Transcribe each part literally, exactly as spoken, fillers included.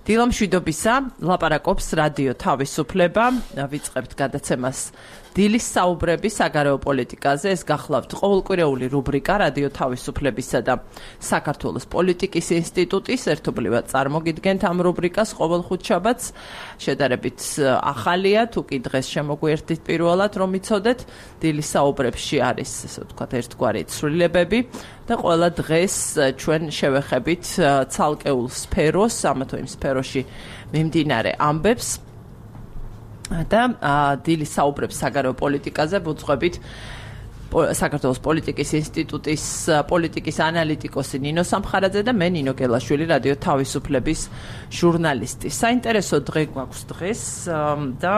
დილამშვიდობისა, ლაპარაკობს რადიო თავისუფლება, ვიწყებთ გადაცემას დილის საუბრები საგარეო პოლიტიკაზე. ეს გახლავთ ყოველკვირეული რუბრიკა რადიო თავისუფლებისა და საქართველოს პოლიტიკის ინსტიტუტის ერთობლივად წარმოგიდგენთ ამ რუბრიკას ყოველ ხუთშაბათს. შედარებით ახალია, თუ კი დღეს შემოგვიერთდით პირველად, რომ იცოდეთ, დილის საუბრებში არის, ესე ვთქვათ, ერთგვარი ცვლილებები და ყველა დღეს ჩვენ შევეხებით ცალკეულ სფეროს, ამა თუ იმ სფეროში მიმდინარე ამბებს. და დილის საუბრებს საგარეო პოლიტიკაზე ვუძღვებით საქართველოს პოლიტიკის ინსტიტუტის პოლიტიკის ანალიტიკოსი ნინო სამხარაძე და მე ნინო გელაშვილი რადიო თავისუფლების ჟურნალისტი. საინტერესო დღე გვაქვს დღეს და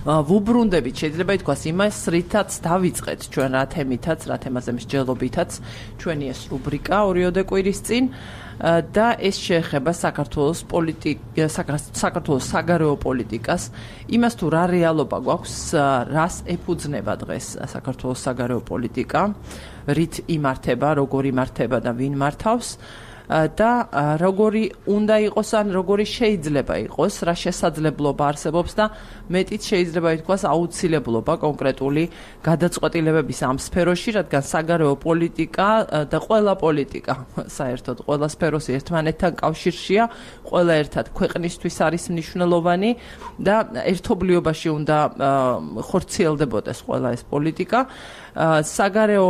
ვუბრუნდებით, შეიძლება ითქვას, იმას, რითაც დავიწყეთ ჩვენ რა თემითაც, რა თემაზე მსჯელობითაც ჩვენი ეს რუბრიკა ორიოდე კვირის წინ. და ეს შეეხება საქართველოს პოლიტიკა, საქართველოს საგარეო პოლიტიკას, იმას თუ რა რეალობა გვაქვს, რას ეფუძნება დღეს საქართველოს საგარეო პოლიტიკა, რით იმართება, როგორ იმართება და ვინ მართავს და როგორი უნდა იყოს ან როგორი შეიძლება იყოს, რა შესაძლებლობა არსებობს და მეტიც შეიძლება ითქვას აუცილებლობა კონკრეტული გადაწყვეტილებების ამ სფეროში, რადგან საგარეო პოლიტიკა და ყველა პოლიტიკა საერთოდ ყველა სფეროს ერთმანეთთან კავშირშია, ყველა ერთად ქვეყნისთვის არის მნიშვნელოვანი და ერთობლიობაში უნდა ხორციელდებოდეს ყველა ეს პოლიტიკა. საგარეო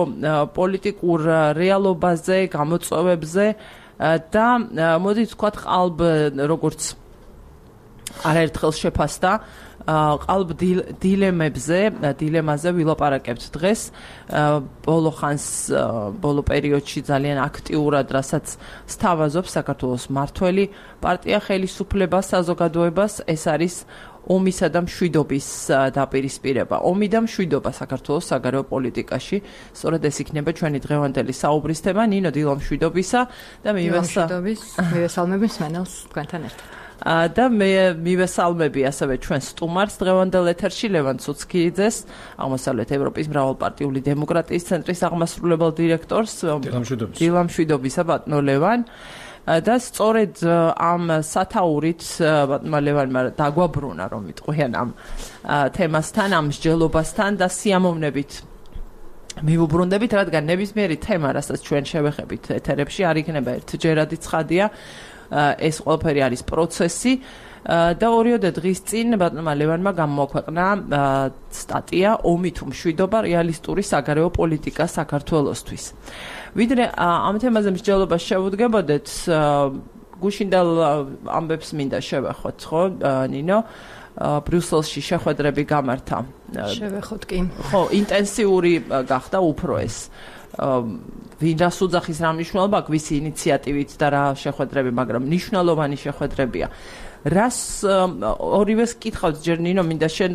პოლიტიკურ რეალობაზე, გამოწვევებზე და მოდით ვთქვათ, ყალბ როგორც არაერთხელ შეფასდა, ყალბ დილემებზე, დილემაზე ვილაპარაკებთ დღეს. ბოლო ხანს, ბოლო პერიოდში ძალიან აქტიურად, რასაც სთავაზობს საქართველოს მმართველი პარტია ხელისუფლებას, საზოგადოებას, ეს არის ომისა და მშვიდობის დაპირისპირება. ომი და მშვიდობა საქართველოს საგარეო პოლიტიკაში. სწორედ ეს იქნება ჩვენი დღევანდელი საუბრის თემა. ნინო, დილამშვიდობისა და მივესალმები მსმენელს თქვენთან ერთად. და მე მივესალმები ასევე ჩვენ სტუმარს დღევანდელ ეთერში, ლევან ცუცქიძეს, აღმოსავლეთ ევროპის მრავალპარტიული დემოკრატიის ცენტრის აღმასრულებელ დირექტორს. დილამშვიდობისა. დილამშვიდობისა, ბატონო ლევან. და სწორედ ამ სათაურით ბატონმა ლევანმა დაგვაბრუნა, რომ ვიტყვიან ამ თემასთან, ამ მსჯელობასთან და სიამოვნებით მივუბრუნდებით, რადგან ნებისმიერი თემა, რასაც ჩვენ შევეხებით ეთერებში, არ იქნება ერთჯერადი ცხადია, ეს ყველაფერი არის პროცესი. და ორიოდე დღის წინ ბატონმა ლევანმა გამოაქვეყნა სტატია ომი თუ მშვიდობა რეალისტური საგარეო პოლიტიკა საქართველოსთვის. ვიდრე ამ თემაზე მსჯელობას შევუდგებოდეთ, გუშინდელ ამბებს მინდა შევეხოთ, ხო, ნინო? ბრიუსელში შეხვედრები გამართა. შევეხოთ კი. ხო, ინტენსიური გახდა უფრო ეს. ვინ რას უძახის, რა მნიშვნელობა აქვს ვისი ინიციატივით და რა შეხვედრები, მაგრამ მნიშვნელოვანი შეხვედრებია. რას ორივეს კითხავთ ჯერ ნინო, მინდა შენ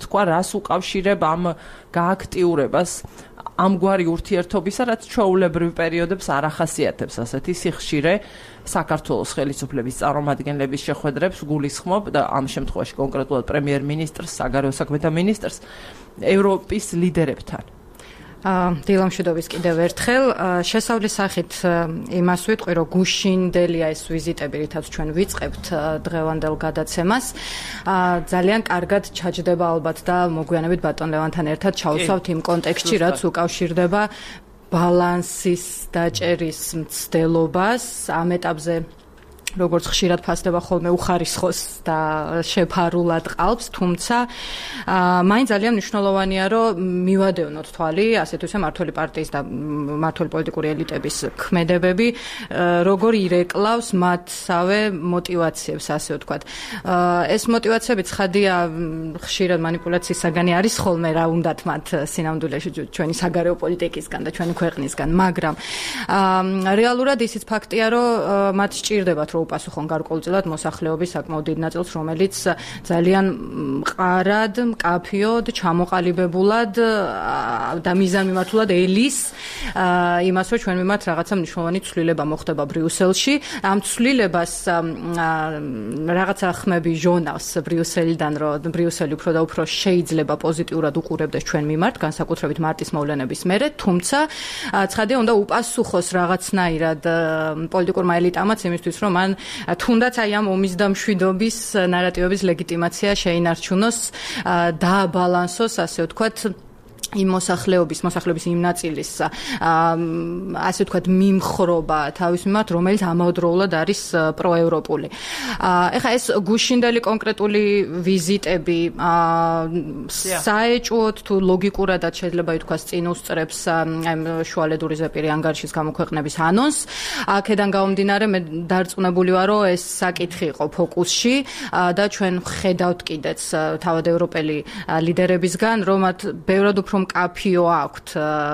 თქვა, რას უკავშირებ ამ გააქტიურებას, ამგვარი ურთიერთობისა, რაც ჩვეულებრივ პერიოდებს არ ახასიათებს ასეთი სიხშირე საქართველოს ხელისუფლების წარმომადგენლების შეხვედრებს გულისხმობ და ამ შემთხვევაში კონკრეტულად პრემიერ-მინისტრს, საგარეო საქმეთა მინისტრს, ევროპის ლიდერებთან. დილამშვიდობის კიდევ ერთხელ. შესავლის სახით იმას ვიტყვი, რომ გუშინდელია ეს ვიზიტები, რითაც ჩვენ ვიწყებთ დღევანდელ გადაცემას. ძალიან კარგად ჩაჯდება ალბათ და მოგვიანებით ბატონ ლევანთან ერთად ჩავსვავთ იმ კონტექსტში, რაც უკავშირდება ბალანსის დაჭერის მცდელობას ამ ეტაპზე. როგორც ხშირად ფასდება ხოლმე უხარისხოს და შეფარულად ყალბს, თუმცა მაინც ძალიან მნიშვნელოვანია, რომ მივადევნოთ თვალი, ასეთ ისე მმართველი პარტიის და მმართველი პოლიტიკური ელიტების ქმედებები, როგორ ირეკლავს მათსავე მოტივაციებს, ასე ვთქვათ. ეს მოტივაციები ცხადია, ხშირად манипуляციის საგანი არის ხოლმე, რა უნდათ მათ სინამდვილეში ჩვენი საგარეო პოლიტიკისგან და ჩვენი ქვეყნისგან, მაგრამ რეალურად ისიც ფაქტია, რომ მათ სჭირდებათ, რომ უპასუხონ გარკვეულწილად მოსახლეობის საკმაოდ დიდ ნაწილს, რომელიც ძალიან მყარად, მკაფიოდ, ჩამოყალიბებულად და მიზანმიმართულად ელის იმას, რომ ჩვენ მიმართ რაღაცა მნიშვნელოვანი ცვლილება მოხდება ბრიუსელში. ამ ცვლილებას რაღაცა ხმები ჟონავს ბრიუსელიდან, რომ ბრიუსელი უფრო და უფრო შეიძლება პოზიტიურად უყურებდეს ჩვენ მიმართ, განსაკუთრებით მარტის მოვლენების მერე, თუმცა ცხადია უნდა უპასუხოს რაღაცნაირად პოლიტიკურმა ელიტამაც იმისთვის, რომ მან ძალიან თუნდაც აი ამ ომის და მშვიდობის ნარატივების ლეგიტიმაცია შეინარჩუნოს, დააბალანსოს, ასე ვთქვათ, იმ მოსახლეობის, მოსახლეობის იმ ნაწილის, ასე ვთქვათ, მიმხრობა თავის მიმართ, რომელიც ამავდროულად არის პროევროპული. ეხლა ეს გუშინდელი კონკრეტული ვიზიტები საეჭვოდ თუ ლოგიკურადაც შეიძლება ითქვას წინ უსწრებს აი შუალედური ზეპირი ანგარიშის გამოქვეყნების ანონსს. აქედან გამომდინარე მე დარწმუნებული ვარ, რომ ეს საკითხი იყო ფოკუსში და ჩვენ ხედავთ კიდეც თავად ევროპელი ლიდერებისგან, რომ მათ ბევრად უფრო კაფიო აქვთ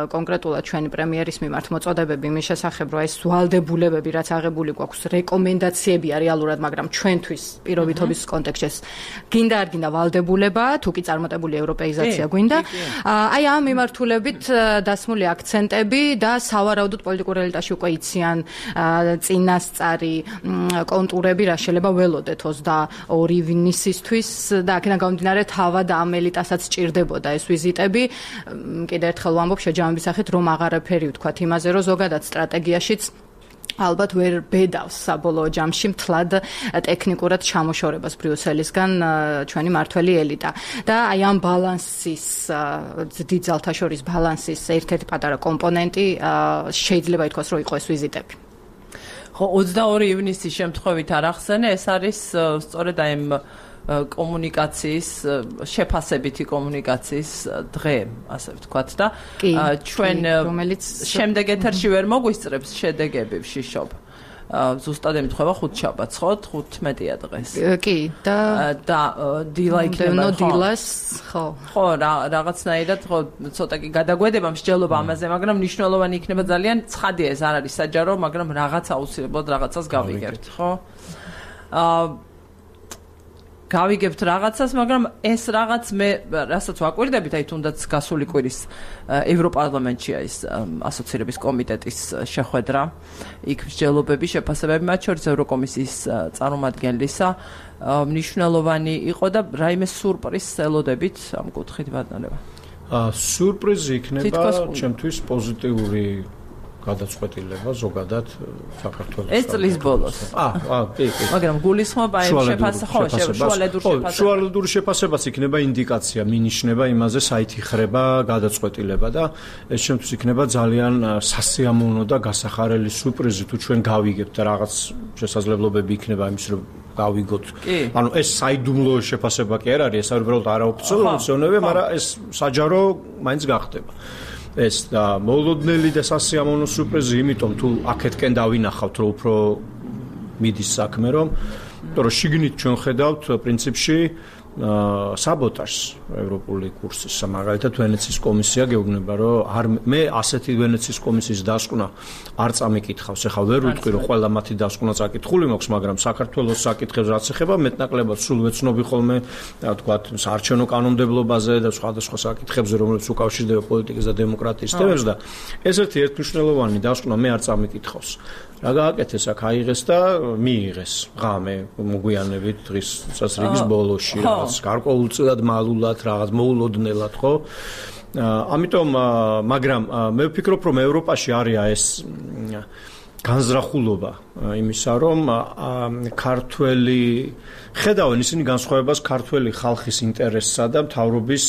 კონკრეტულად ჩვენი პრემიერის მიმართ მოწოდებები იმის შესახებ, რომ ეს ვალდებულებები, რაც აღებული გვაქვს, რეკომენდაციებია რეალურად, მაგრამ ჩვენთვის პირობითობის კონტექსტში გინდა არ გინდა ვალდებულებაა, თუ კი წარმატებული ევროპეიზაცია გვინდა. აი ამ მიმართულებით დასმული აქცენტები და სავარაუდოდ პოლიტიკურ ელიტაში უკვე იციან წინასწარი კონტურები, რა შეიძლება ველოდეთ ოცდაორი ივნისისთვის და აქედან გამომდინარე თავად ამ ელიტასაც სჭირდებოდა ეს ვიზიტები. კიდე ერთხელ ვამბობ შეჯამების სახით, რომ აღარაფერი ვთქვათ იმაზე, რომ ზოგადად სტრატეგიაშიც ალბათ ვერ ბედავს საბოლოო ჯამში მთლად ტექნიკურად ჩამოშორებას ბრიუსელისგან ჩვენი მართველი ელიტა. და აი ამ ბალანსის, დიდ ძალთა შორის ბალანსის ერთ-ერთი პატარა კომპონენტი შეიძლება ითქვას, რომ იყო ეს ვიზიტები. ხო, ოცდაორი ივნისის შემთხვევით არ ახსენე, ეს არის სწორედ აი ამ კომუნიკაციის, შეფასებითი კომუნიკაციის დღე, ასე ვთქვათ და ჩვენ შემდეგ ეთერში ვერ მოგვისწრებს შედეგები ვშიშობ. ზუსტად ემთხვევა ხუთშაბათს, ხო? თხუთმეტია დღეს. კი, და და დილა იქნება, ხო? დილას, ხო. ხო, რაღაცნაირად, ხო, ცოტა კი გადაგვედება მსჯელობა ამაზე, მაგრამ მნიშვნელოვანი იქნება ძალიან. ცხადია, ეს არ არის საჯარო, მაგრამ რაღაც აუცილებლად რაღაცას გავიგებთ, ხო? აა გავიგებთ რაღაცას, მაგრამ ეს რაღაც მე რასაც ვაკვირდებით, აი თუნდაც გასული კვირის ევროპარლამენტშია ის ასოცირების კომიტეტის შეხვედრა, იქ მსჯელობები, შეფასებები, მათ შორის ევროკომისიის წარმომადგენლისა, მნიშვნელოვანი იყო და რაიმე სურპრიზს ელოდებით ამ კუთხით ბატონებო. სურპრიზი იქნება ჩემთვის პოზიტიური გადაწყვეტილება ზოგადად საქართველოს. ეს წლის ბოლოს. აა, აა, კი, კი. მაგრამ გულისხმობა იმ შეფასებას, ხო, შუალედურ შეფასებას. შუალედური შეფასებას იქნება ინდიკაცია, მინიშნება იმაზე, საით იხრება გადაწყვეტილება და ეს შემთხვევით იქნება ძალიან სასიამოვნო და გასახარელი სურპრიზი, თუ ჩვენ გავიგებთ რაღაც შესაძლებლობები იქნება იმის, რომ გავიგოთ. ანუ ეს საიდუმლო შეფასება კი არ არის, ეს არის უბრალოდ არაოფიციალური, მაგრამ ეს საჯარო მაინც გახდება. ეს და მოულოდნელი და სასიამოვნო სურპრიზი, იმიტომ თუ აქეთკენ დავინახავთ, რომ უფრო მიდის საქმე, რომ რომ შიგნით ჩვენ ხედავთ პრინციპში საბოტაჟს ევროპული კურსის. მაგალითად ვენეციის კომისია გეუბნება, რომ არ მე ასეთი ვენეციის კომისიის დასკვნა არ წამიკითხავს. ეხლა ვერ ვიტყვი, რომ ყველა მათი დასკვნა წაკითხული მაქვს, მაგრამ საქართველოს საკითხებს რაც ეხება, მეტნაკლებად სულ ვეცნობი ხოლმე, რა ვთქვათ, საარჩევნო კანონმდებლობაზე და სხვადასხვა საკითხებზე, რომლებიც უკავშირდება პოლიტიკის და დემოკრატიის თემებს და ეს ერთი ერთმნიშვნელოვანი დასკვნა მე არ წამიკითხავს. რა გააკეთეს აქ აიღეს და მიიღეს ღამე მოგვიანებით დღის წესრიგის ბოლოში რაღაც გარკვეულწილად მალულად რაღაც მოულოდნელად, ხო? ამიტომ მაგრამ მე ვფიქრობ, რომ ევროპაში არის ეს განზრახულობა იმისა, რომ ქართველი ხედავენ ისინი განსხვავებას ქართველი ხალხის ინტერესსა და მთავრობის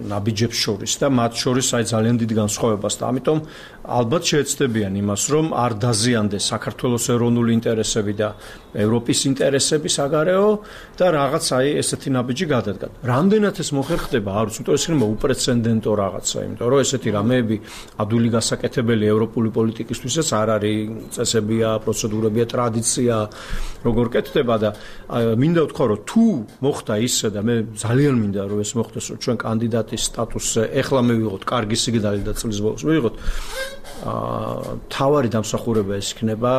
ნაბიჯებს შორის და მათ შორის აი ძალიან დიდი განსხვავებას და ამიტომ ალბათ შეეცდებიან იმას, რომ არ დაზიანდეს საქართველოს ეროვნული ინტერესები და ევროპის ინტერესები საგარეო და რაღაც აი ესეთი ნაბიჯი გადადგა. რამდენად ეს მოხერხდება, არ ვიცი, იმიტომ ეს იქნება უპრეცედენტო რაღაცა, იმიტომ რომ ესეთი რამეები ადვილი გასაკეთებელი ევროპული პოლიტიკისთვისაც არ არის, წესებია, პროცედურებია, ტრადიცია, როგორ კეთდება და მინდა ვთქვა, რომ თუ მოხდა ისე და მე ძალიან მინდა რომ ეს მოხდეს, რომ ჩვენ კანდიდატის სტატუსზე ეხლა მივიღოთ კარგი სიგნალი და წლის ბოლოს მივიღოთ, თავარი დამსახურება ეს იქნება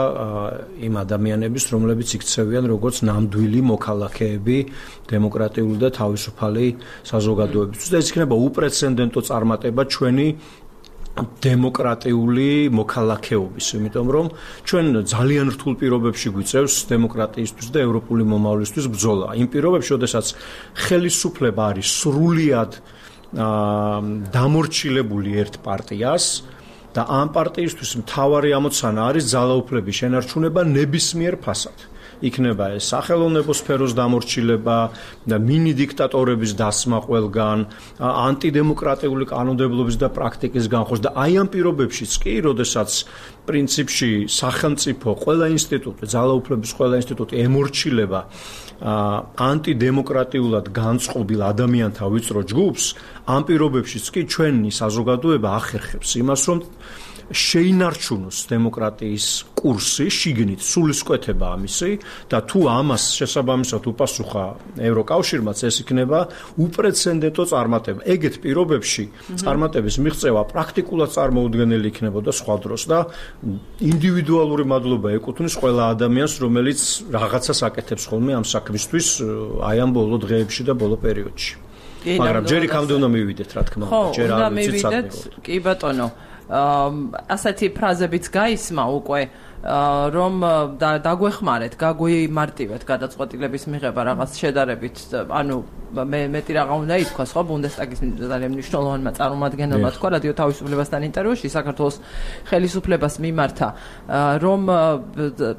იმ ადამიანების, რომლებიც იქცევიან როგორც ნამდვილი მოქალაქეები დემოკრატიული და თავისუფალი საზოგადოებისთვის და ეს იქნება უპრეცედენტო წარმატება ჩვენი დემოკრატიული მოქალაქეობის, იმიტომ რომ ჩვენ ძალიან რთულ პირობებში გვიწევს დემოკრატიისთვის და ევროპული მომავლისთვის ბრძოლა. იმ პირობებში, როდესაც ხელისუფლება არის სრულიად დამორჩილებული ერთ პარტიას და ამ პარტიისთვის მთავარი ამოცანა არის ძალაუფლების შენარჩუნება ნებისმიერ ფასად. იქნება ეს სახელოვნებო სფეროს დამორჩილება და მინი დიქტატორების დასმა ყველგან, ანტიდემოკრატიული კანონმდებლობის და პრაქტიკის განხორციელება და აი ამ პირობებშიც კი, როდესაც პრინციპში სახელმწიფო ყველა ინსტიტუტი, ძალაუფლების ყველა ინსტიტუტი ემორჩილება ანტიდემოკრატიულად განწყობილ ადამიანთა ვიწრო ჯგუფს, ამ პირობებშიც კი ჩვენი საზოგადოება ახერხებს იმას, რომ შეინარჩუნოს დემოკრატიის კურსი, შიგნით სულისკვეთება ამისი და თუ ამას შესაბამისად უპასუხა ევროკავშირმაც, ეს იქნება უპრეცედენტო წარმატება. ეგეთ პირობებში წარმატების მიღწევა პრაქტიკულად წარმოუდგენელი იქნებოდა სხვა დროს და ინდივიდუალური მადლობა ეკუთვნის ყველა ადამიანს, რომელიც რაღაცას აკეთებს ხოლმე ამ საქმისთვის აი ამ ბოლო დღეებში და ბოლო პერიოდში. მაგრამ ჯერ იქამდე უნდა მივიდეთ, რა თქმა უნდა, ჯერ არ ვიცით საქმე. კი ბატონო, ასეთი ფრაზებიც გაისმა უკვე, რომ დაგვეხმარეთ, გაგვიმარტივეთ გადაწყვეტილების მიღება რაღაც შედარებით, ანუ მე მეტი რაღა უნდა ითქვას, ხო, ბუნდესტაგის ძალიან მნიშვნელოვანმა წარმომადგენელმა თქვა რადიო თავისუფლებასთან ინტერვიუში საქართველოს ხელისუფლებას მიმართა, რომ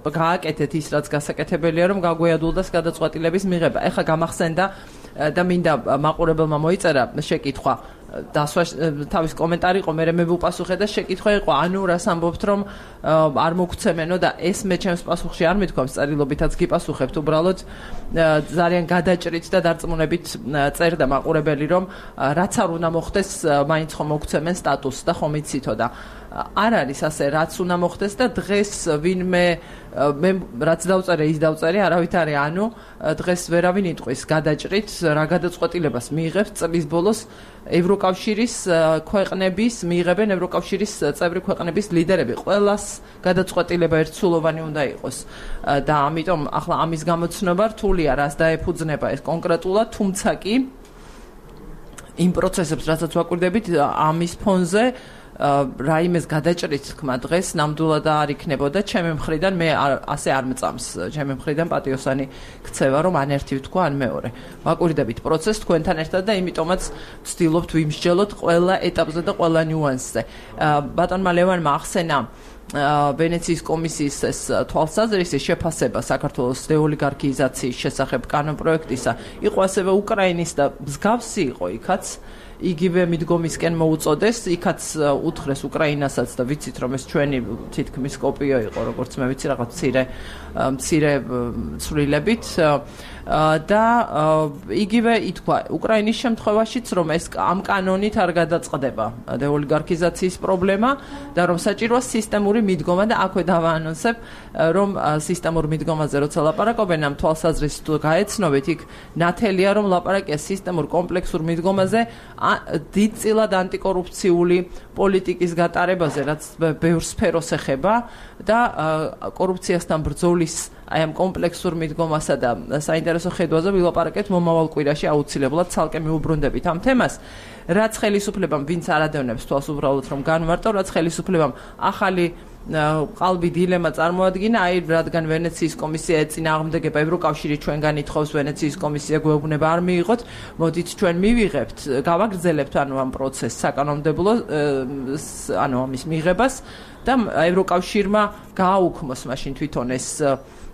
გააკეთეთ ის, რაც გასაკეთებელია, რომ გაგვეადვილდეს გადაწყვეტილების მიღება. ეხლა გამახსენდა და მინდა მაყურებელმა მოიწერა შეკითხვა დასვა თავის კომენტარი იყო, მე მე ვუპასუხე და შეკითხვა იყო, ანუ რას ამბობთ, რომ არ მოგცემენო და ეს მე ჩემს პასუხში არ მithქვამს, წერილობითაც გიპასუხებთ, უბრალოდ ძალიან გადაჭრით და დარწმუნებით წერდა მაყურებელი, რომ რაც არ უნდა მოხდეს, მაინც ხომ მოგცემენ სტატუსს და ხომ იცითო და არ არის ასე, რაც უნდა მოხდეს და დღეს ვინმე მე რაც დავწერე, ის დავწერე, არავით არის, ანუ დღეს ვერავინ იტყვის გადაჭრით, რა გადაწყვეტილებას მიიღებს წლის ბოლოს ევროკავშირის ქვეყნების, მიიღებენ ევროკავშირის წევრი ქვეყნების ლიდერები. ყველას გადაწყვეტილება ერთსულოვანი უნდა იყოს და ამიტომ ახლა ამის გამოცნობა რთულია, რას დაეფუძნება ეს კონკრეტულად, თუმცა კი იმ პროცესებს, რასაც ვაკვირდებით, ამის ფონზე რაიმეს გადაჭრით თქმა დღეს ნამდვილად არ იქნებოდა ჩემი მხრიდან, მე ასე არ მწამს ჩემი მხრიდან პატიოსანი ქცევა, რომ ან ერთი ვთქვა, ან მეორე. ვაკვირდებით პროცესს თქვენთან ერთად და იმიტომაც ვცდილობთ ვიმსჯელოთ ყველა ეტაპზე და ყველა ნიუანსზე. ბატონმა ლევანმა ახსენა ვენეციის კომისიის ეს თვალსაზრისი შეფასება საქართველოს დეოლიგარქიზაციის შესახებ კანონპროექტისა იყო ასევე უკრაინის და მსგავსი იყო იქაც იგივე მიდგომისკენ მოუწოდეს, იქაც უთხრეს უკრაინასაც და ვიცით რომ ეს ჩვენი თითქმის კოპიო იყო, როგორც მე ვიცი, რაღაც მცირე მცირე ცვლილებით და იგივე ითქვა უკრაინის შემთხვევაშიც, რომ ეს ამ კანონით არ გადაწყდება დეოლიგარქიზაციის პრობლემა და რომ საჭიროა სისტემური მიდგომა და აქვე დავაანონსებ, რომ სისტემურ მიდგომაზე როცა ლაპარაკობენ ამ თვალსაზრისით თუ გაეცნობით, იქ ნათელია რომ ლაპარაკია სისტემურ კომპლექსურ მიდგომაზე, დიდწილად ანტიკორუფციული პოლიტიკის გატარებაზე, რაც ბევრ სფეროს ეხება და კორუფციასთან ბრძოლის აი ამ კომპლექსურ მიდგომასა და საინტერესო ხედვაზე ვილაპარაკეთ მომავალ კვირაში აუცილებლად ცალკე მიუბრუნდებით ამ თემას. რაც ხელისუფლებამ ვინც არადევნებს თვალს უბრალოდ რომ განმარტო, რაც ხელისუფლებამ ახალი ყალბი დილემა წარმოადგინა, აი რადგან ვენეციის კომისია ეწინააღმდეგება ევროკავშირი ჩვენგან ითხოვს, ვენეციის კომისია გვეუბნება არ მიიღოთ, მოდით ჩვენ მივიღებთ, გავაგრძელებთ ანუ ამ პროცესს საკანონმდებლო ანუ ამის მიღებას და ევროკავშირმა გააუქმოს მაშინ თვითონ ეს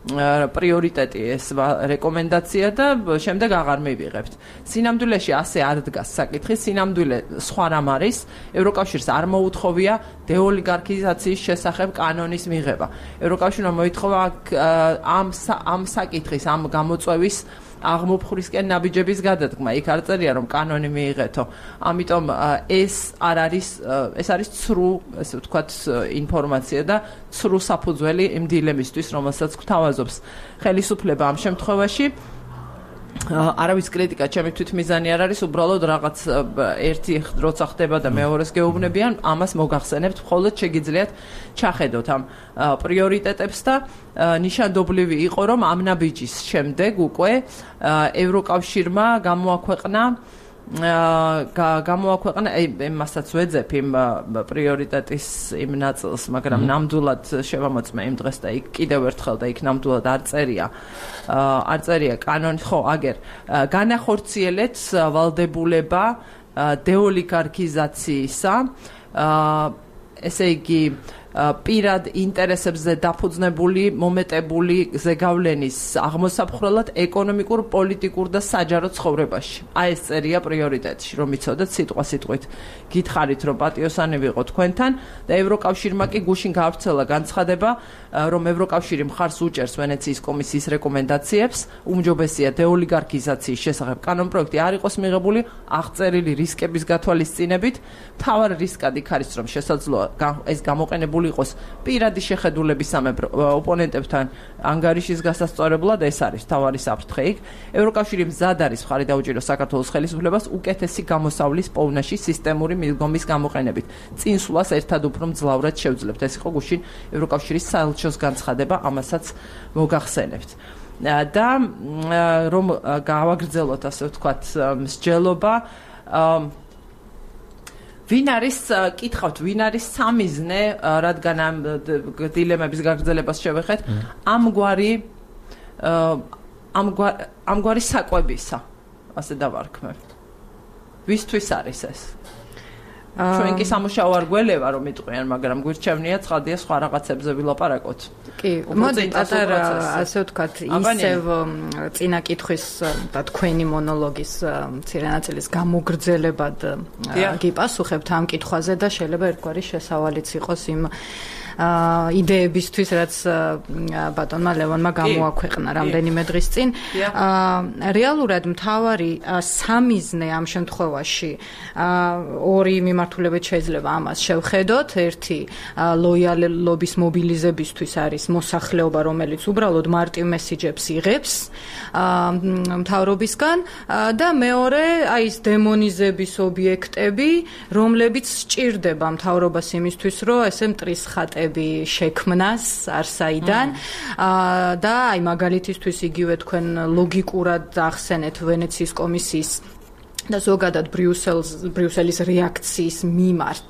პრიორიტეტი, ეს რეკომენდაცია და შემდეგ აღარ მივიღებთ. სინამდვილეში ასე არ დგას საკითხი, სინამდვილე სხვა რამ არის, ევროკავშირს არ მოუთხოვია დეოლიგარქიზაციის შესახებ კანონის მიღება. ევროკავშირმა მოითხოვა ამ ამ საკითხის, ამ გამოწვევის აღმოფხრისკენ ნაბიჯების გადადგმა. იქ არ წერია რომ კანონი მიიღეთო. ამიტომ ეს არ არის ეს არის ცრუ, ესე ვთქვათ, ინფორმაცია და ცრუ საფუძველი იმ დილემისთვის, რომელსაც გვთავაზობს ხელისუფლება ამ შემთხვევაში. არავის კრიტიკა ჩემი თვითმიზანი არ არის, უბრალოდ რაღაც ერთი როცა ხდება და მეორეს გეუბნებიან, ამას მოგახსენებთ, მხოლოდ შეგიძლიათ ჩახედოთ ამ პრიორიტეტებს და ნიშანდობლივი იყო, რომ ამ ნაბიჯის შემდეგ უკვე ევროკავშირმა გამოაქვეყნა გამოაქვეყნა იმასაც ვეძებ იმ პრიორიტეტის იმ ნაწილს, მაგრამ ნამდვილად შევამოწმე იმ დღეს და იქ კიდევ ერთხელ და იქ ნამდვილად არ წერია არ წერია კანონი, ხო, აგერ განახორციელეთ ვალდებულება დეოლიგარქიზაციისა ესე იგი პირად ინტერესებზე დაფუძნებული მომეტებული ზეგავლენის აღმოსაფხრელად ეკონომიკურ, პოლიტიკურ და საჯარო ცხოვრებაში. აი ეს წერია პრიორიტეტში, რომ იცოდეთ სიტყვა სიტყვით. გითხარით, რომ პატიოსანი ვიყო თქვენთან და ევროკავშირმა კი გუშინ გაავრცელა განცხადება, რომ ევროკავშირი მხარს უჭერს ვენეციის კომისიის რეკომენდაციებს, უმჯობესია დეოლიგარქიზაციის შესახებ კანონპროექტი არ იყოს მიღებული აღწერილი რისკების გათვალისწინებით. მთავარი რისკად იქ არის, რომ შესაძლოა ეს გამოყენებული იყოს პირადი შეხედულების სამეფო ოპონენტებთან ანგარიშის გასასწორებლად, ეს არის მთავარი საფრთხე იქ. ევროკავშირი მზად არის მხარი დაუჭიროს საქართველოს ხელისუფლებას უკეთესი გამოსავლის პოვნაში სისტემური მიდგომის გამოყენებით. წინსვლას ერთად უფრო მძლავრად შევძლებთ. ეს იყო გუშინ ევროკავშირის საელჩოს განცხადება, ამასაც მოგახსენებთ. და რომ გავაგრძელოთ ასე ვთქვათ მსჯელობა, ვინ არის კითხავთ, ვინ არის სამიზნე, რადგან ამ დილემების გაგრძელებას შევეხეთ, ამგვარი ამგვარი საკვებისა, ასე დავარქმევ. ვისთვის არის ეს? ჩვენ კი სამუშაო არ გველევა რომ იტყვიან, მაგრამ გვირჩევნია ცხადია სხვა რაღაცებზე ვილაპარაკოთ. კი, მოდი პატარა ასე ვთქვათ, ისევ წინა კითხვის და თქვენი მონოლოგის მცირე ნაწილის გამოგრძელებად გიპასუხებთ ამ კითხვაზე და შეიძლება ერთგვარი შესავალიც იყოს იმ იდეებისთვის, რაც ბატონმა ლევონმა გამოაქვეყნა რამდენიმე დღის წინ. რეალურად მთავარი სამიზნე ამ შემთხვევაში ორი მიმართულებით შეიძლება ამას შევხედოთ. ერთი ლოიალობის მობილიზებისთვის არის მოსახლეობა, რომელიც უბრალოდ მარტივ მესიჯებს იღებს მთავრობისგან და მეორე აი ეს დემონიზების ობიექტები, რომლებიც სჭირდება მთავრობას იმისთვის, რომ ესე მტრისხატები შექმნას არსაიდან და აი მაგალითისთვის იგივე თქვენ ლოგიკურად ახსენეთ ვენეციის კომისიის და ზოგადად ბრიუსელის ბრიუსელის რეაქციის მიმართ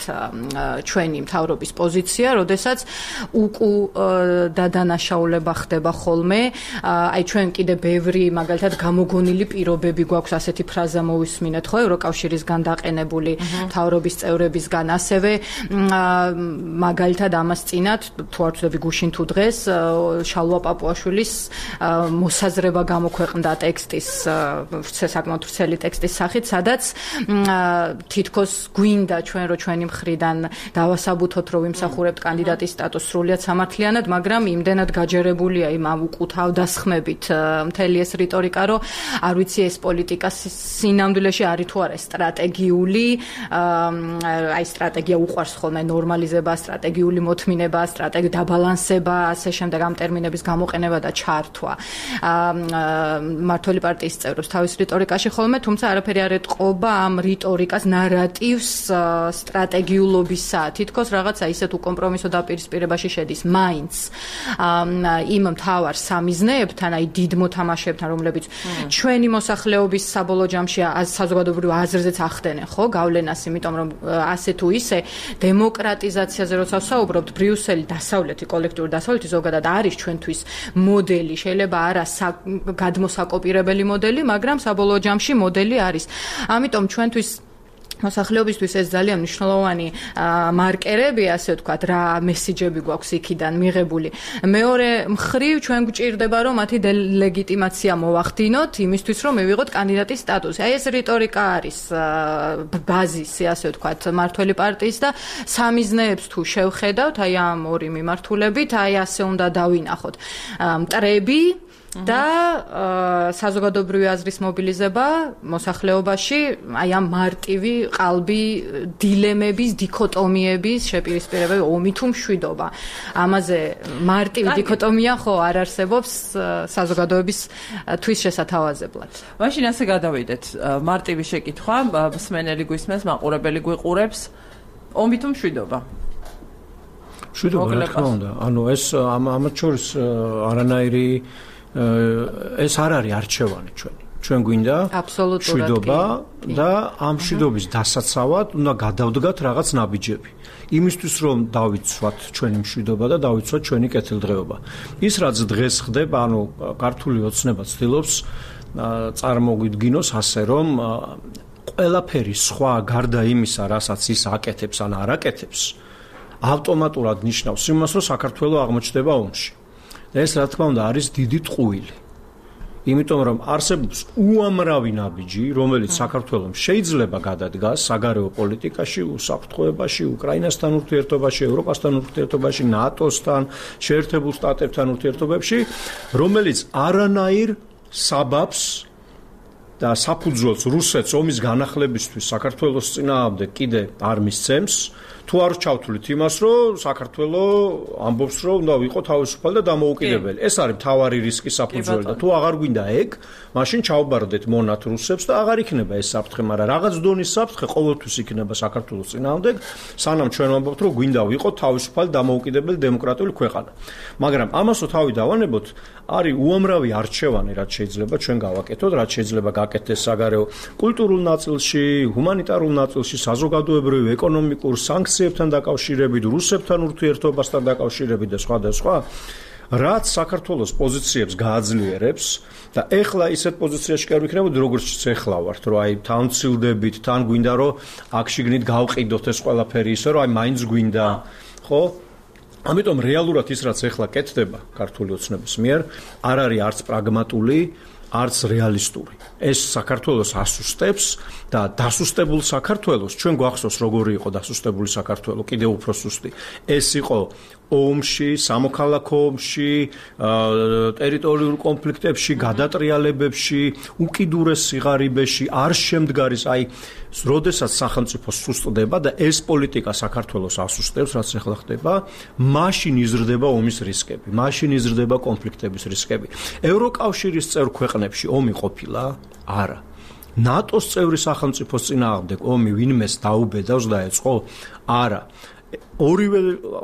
ჩვენი მთავრობის პოზიცია, როდესაც უკუ დადანაშაულება ხდება ხოლმე, აი ჩვენ კიდე ბევრი მაგალითად გამოგონილი პირობები გვაქვს, ასეთი ფრაზა მოვისმინეთ ხო ევროკავშირისგან დაყენებული მთავრობის წევრებისგან, ასევე მაგალითად ამას წინათ თუ არ ვცდები გუშინ თუ დღეს შალვა პაპუაშვილის მოსაზრება გამოქვეყნდა ტექსტის საკმაოდ ვრცელი ტექსტის სახით, სადაც თითქოს გვინდა ჩვენ რო ჩვენი მხრიდან დავასაბუთოთ, რომ ვიმსახურებთ კანდიდატის სტატუსს სრულიად სამართლიანად, მაგრამ იმდენად გაჯერებულია იმ უკუ თავდასხმებით მთელი ეს რიტორიკა, რომ არ ვიცი ეს პოლიტიკა სინამდვილეში არის თუ არა სტრატეგიული, აი სტრატეგია უყვარს ხოლმე ნორმალიზება, სტრატეგიული მოთმინება, სტრატეგიული დაბალანსება, ასე შემდეგ ამ ტერმინების გამოყენება და ჩართვა მმართველი პარტიის წევრებს თავის რიტორიკაში ხოლმე, თუმცა არაფერი არ ეტყობა ამ რიტორიკას ნარატივს სტრატეგიულობისა, თითქოს რაღაცა ისეთ უკომპრომისო დაპირისპირებაში შედის მაინც იმ მთავარ სამიზნეებთან, აი დიდ მოთამაშეებთან, რომლებიც ჩვენი მოსახლეობის საბოლოო ჯამში საზოგადოებრივ აზრზეც ახდენენ, ხო, გავლენას, იმიტომ რომ ასე თუ ისე დემოკრატიზაციაზე როცა ვსაუბრობთ, ბრიუსელი დასავლეთი, კოლექტიური დასავლეთი ზოგადად არის ჩვენთვის მოდელი, შეიძლება არა გადმოსაკოპირებელი მოდელი, მაგრამ საბოლოო ჯამში მოდელი არის. ამიტომ ჩვენთვის მოსახლეობისთვის ეს ძალიან მნიშვნელოვანი მარკერები, ასე ვთქვათ, რა მესიჯები გვაქვს იქიდან მიღებული. მეორე მხრივ ჩვენ გვჭირდება, რომ მათი დელეგიტიმაცია მოვახდინოთ იმისთვის, რომ მივიღოთ კანდიდატის სტატუსი. აი ეს რიტორიკა არის ბაზისი, ასე ვთქვათ, მმართველი პარტიის და სამიზნეებს თუ შევხედავთ, აი ამ ორი მიმართულებით, აი ასე უნდა დავინახოთ. მტრები და საზოგადოებრივი აზრის მობილიზება მოსახლეობაში, აი ამ მარტივი ყალბი დილემების, დიქოტომიების შეპირისპირება, ომი თუ მშვიდობა. ამაზე მარტივი დიქოტომია ხო არ არსებობს საზოგადოების თვის შესათავაზებლად. მაშინ ასე გადავიდეთ. მარტივი შეკითხვა, მსმენელი გვისმენს, მაყურებელი გვიყურებს, ომი თუ მშვიდობა? მშვიდობა, რა თქმა უნდა. ანუ ეს ამათ შორის არანაირი ეს არ არის არჩევანი ჩვენი. ჩვენ გვინდა მშვიდობა და ამ მშვიდობის დასაცავად უნდა გადავდგათ რაღაც ნაბიჯები. იმისთვის რომ დავიცვათ ჩვენი მშვიდობა და დავიცვათ ჩვენი კეთილდღეობა. ის რაც დღეს ხდება, ანუ ქართული ოცნება ცდილობს წარმოგვიდგინოს ასე, რომ ყველაფერი სხვა გარდა იმისა, რასაც ის აკეთებს ან არ აკეთებს, ავტომატურად ნიშნავს იმას, რომ საქართველო აღმოჩნდება ომში. და ეს რა თქმა უნდა არის დიდი ტყუილი. იმიტომ რომ არსებობს უამრავი ნაბიჯი, რომელიც საქართველოს შეიძლება გადადგას საგარეო პოლიტიკაში, უსაფრთხოებაში, უკრაინასთან ურთიერთობაში, ევროპასთან ურთიერთობაში, ნატოსთან, შეერთებულ შტატებთან ურთიერთობებში, რომელიც არანაირ საბაბს და საფუძველს რუსეთს ომის განახლებისთვის საქართველოს წინააღმდეგ კიდე არ მისცემს. თუ არ ჩავთვლით იმას, რომ საქართველო ამბობს, რომ უნდა ვიყო თავისუფალი და დამოუკიდებელი. ეს არის მთავარი რისკი საფუძველი და თუ აღარ გვინდა ეგ, მაშინ ჩავბარდეთ მონათ რუსებს და აღარ იქნება ეს საფრთხე, მაგრამ რაღაც დონის საფრთხე ყოველთვის იქნება საქართველოს წინააღმდეგ, სანამ ჩვენ ვამბობთ, რომ გვინდა ვიყოთ თავისუფალი დამოუკიდებელი დემოკრატიული ქვეყანა. მაგრამ ამასო თავი დავანებოთ, არის უამრავი არჩევანი, რაც შეიძლება ჩვენ გავაკეთოთ, რაც შეიძლება გაკეთდეს საგარეო კულტურულ ნაწილში, ჰუმანიტარულ ნაწილში, საზოგადოებრივ, ეკონომიკურ, სანქციებთან დაკავშირებით, რუსებთან ურთიერთობასთან დაკავშირებით და სხვა და სხვა, რაც საქართველოს პოზიციებს გააძლიერებს და ეხლა ისეთ პოზიციაში კი არ ვიქნებოდი, როგორც ეხლა ვართ, რომ აი თან ვცილდებით, თან გვინდა რომ აქ შიგნით გავყიდოთ ეს ყველაფერი ისე, რომ აი მაინც გვინდა, ხო? ამიტომ რეალურად ის რაც ეხლა კეთდება ქართული ოცნების მიერ, არ არის არც პრაგმატული, არც რეალისტური. ეს საქართველოს ასუსტებს და დასუსტებულ საქართველოს ჩვენ გვახსოვს როგორი იყო დასუსტებული საქართველო, კიდევ უფრო სუსტი. ეს იყო ომში, სამოქალაქო ომში, ტერიტორიულ კონფლიქტებში, გადატრიალებებში, უკიდურეს სიღარიბეში, არ შემდგარის, აი, როდესაც სახელმწიფო სუსტდება და ეს პოლიტიკა საქართველოს ასუსტებს, რაც ახლა ხდება, მაშინ იზრდება ომის რისკები, მაშინ იზრდება კონფლიქტების რისკები. ევროკავშირის წევრ ქვეყნებში ომი ყოფილა? არა. ნატოს წევრი სახელმწიფოს წინააღმდეგ ომი ვინმეს დაუბედავს დაეწყო? არა. ორივე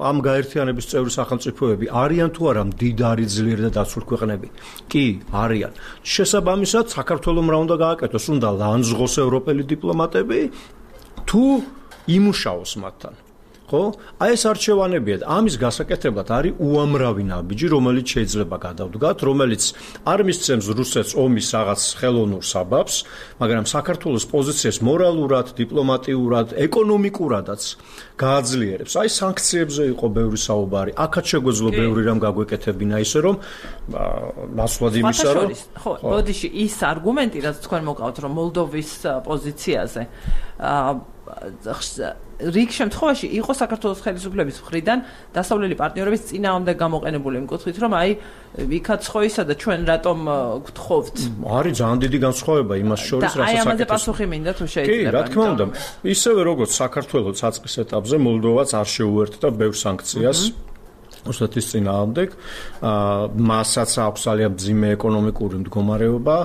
ამ გაერთიანების წევრი სახელმწიფოები არიან თუ არა მდიდარი ძლიერი და დაცული ქვეყნები? კი, არიან. შესაბამისად, საქართველოს რა უნდა გააკეთოს? უნდა ლანძღოს ევროპელი დიპლომატები თუ იმუშაოს მათთან. ხო? აი ეს არჩევანებია. ამის გასაკეთებლად არის უამრავი ნაბიჯი, რომელიც შეიძლება გადავდგათ, რომელიც არ მისცემს რუსეთს ომის რაღაც ხელოვნურ საბაბს, მაგრამ საქართველოს პოზიციას მორალურად, დიპლომატიურად, ეკონომიკურადაც გააძლიერებს. აი სანქციებზე იყო ბევრი საუბარი. აქაც შეგვეძლო ბევრი რამ გაგვეკეთებინა ისე რომ ნაცვლად იმისა რომ ხო, ბოდიში ის არგუმენტი, რაც თქვენ მოგყავთ, რომ მოლდოვის პოზიციაზე რიგ შემთხვევაში იყო საქართველოს ხელისუფლების მხრიდან დასავლელი პარტნიორების წინააღმდეგ გამოყენებული იმ კუთხით, რომ აი იქაც ხოისა და ჩვენ რატომ გთხოვთ. არის ძალიან დიდი განსხვავება იმას შორის, რასაც აი ამაზე პასუხი მინდა თუ შეიძლება. კი, რა თქმა უნდა. ისევე როგორც საქართველოს საწყის ეტაპზე მოლდოვაც არ შეუერთდა ბევრ სანქციას რუსეთის წინააღმდეგ, მასაც აქვს ძალიან მძიმე ეკონომიკური მდგომარეობა,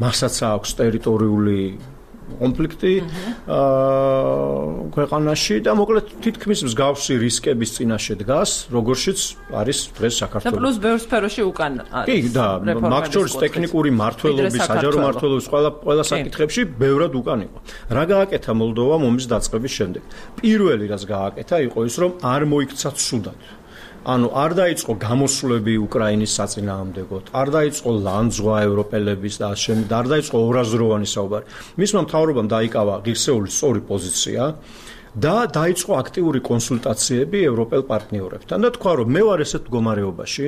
მასაც აქვს ტერიტორიული კონფლიქტი ქვეყანაში და მოკლედ თითქმის მსგავსი რისკების წინაშე დგას, როგორშიც არის დღეს საქართველო. და პლუს ბევრ სფეროში უკან არის. კი, და მაგ შორის ტექნიკური მმართველობის, საჯარო მმართველობის ყველა ყველა საკითხებში ბევრად უკან იყო. რა გააკეთა მოლდოვამ ომის დაწყების შემდეგ? პირველი რაც გააკეთა იყო ის, რომ არ მოიქცა ცუდად. ანუ არ დაიწყო გამოსვლები უკრაინის საწინააღმდეგოდ, არ დაიწყო ლანძღვა ევროპელების და შემდეგ არ დაიწყო ორაზროვანი საუბარი. მისმა მთავრობამ დაიკავა ღირსეული სწორი პოზიცია და დაიწყო აქტიური კონსულტაციები ევროპელ პარტნიორებთან და თქვა რომ მე ვარ ესეთ მდგომარეობაში,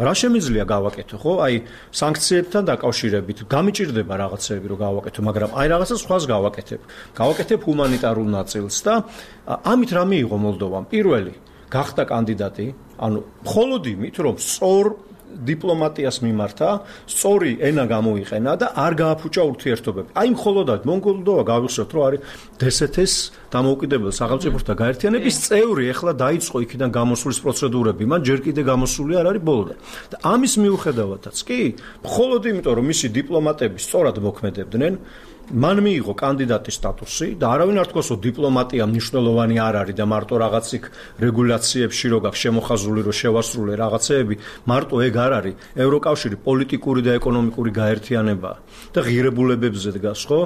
რა შემიძლია გავაკეთო, ხო? აი სანქციებთან დაკავშირებით გამიჭირდება რაღაცები რომ გავაკეთო, მაგრამ აი რაღაცა სხვას გავაკეთებ. გავაკეთებ ჰუმანიტარულ ნაწილს და ამით რა მიიღო მოლდოვამ? პირველი გახდა კანდიდატი, ანუ მხოლოდ იმით, რომ სწორ დიპლომატიას მიმართა, სწორი ენა გამოიყენა და არ გააფუჭა ურთიერთობები. აი მხოლოდად მონგოლდოვა გავიხსენოთ, რომ არის დსთ-ს დამოუკიდებელ სახელმწიფოთა გაერთიანების წევრი, ეხლა დაიწყო იქიდან გამოსვლის პროცედურები, მან ჯერ კიდე გამოსული არ არის ბოლოდან. და ამის მიუხედავადაც კი, მხოლოდ იმიტომ, რომ მისი დიპლომატები სწორად მოქმედებდნენ, მან მიიღო კანდიდატის სტატუსი და არავინ არ თქვას, რომ დიპლომატია მნიშვნელოვანი არ არის და მარტო რაღაც იქ რეგულაციებში რო გაქვს შემოხაზული, რომ შევასრულე რაღაცეები, მარტო ეგ არ არის. ევროკავშირი პოლიტიკური და ეკონომიკური გაერთიანებაა და ღირებულებებზე დგას, ხო?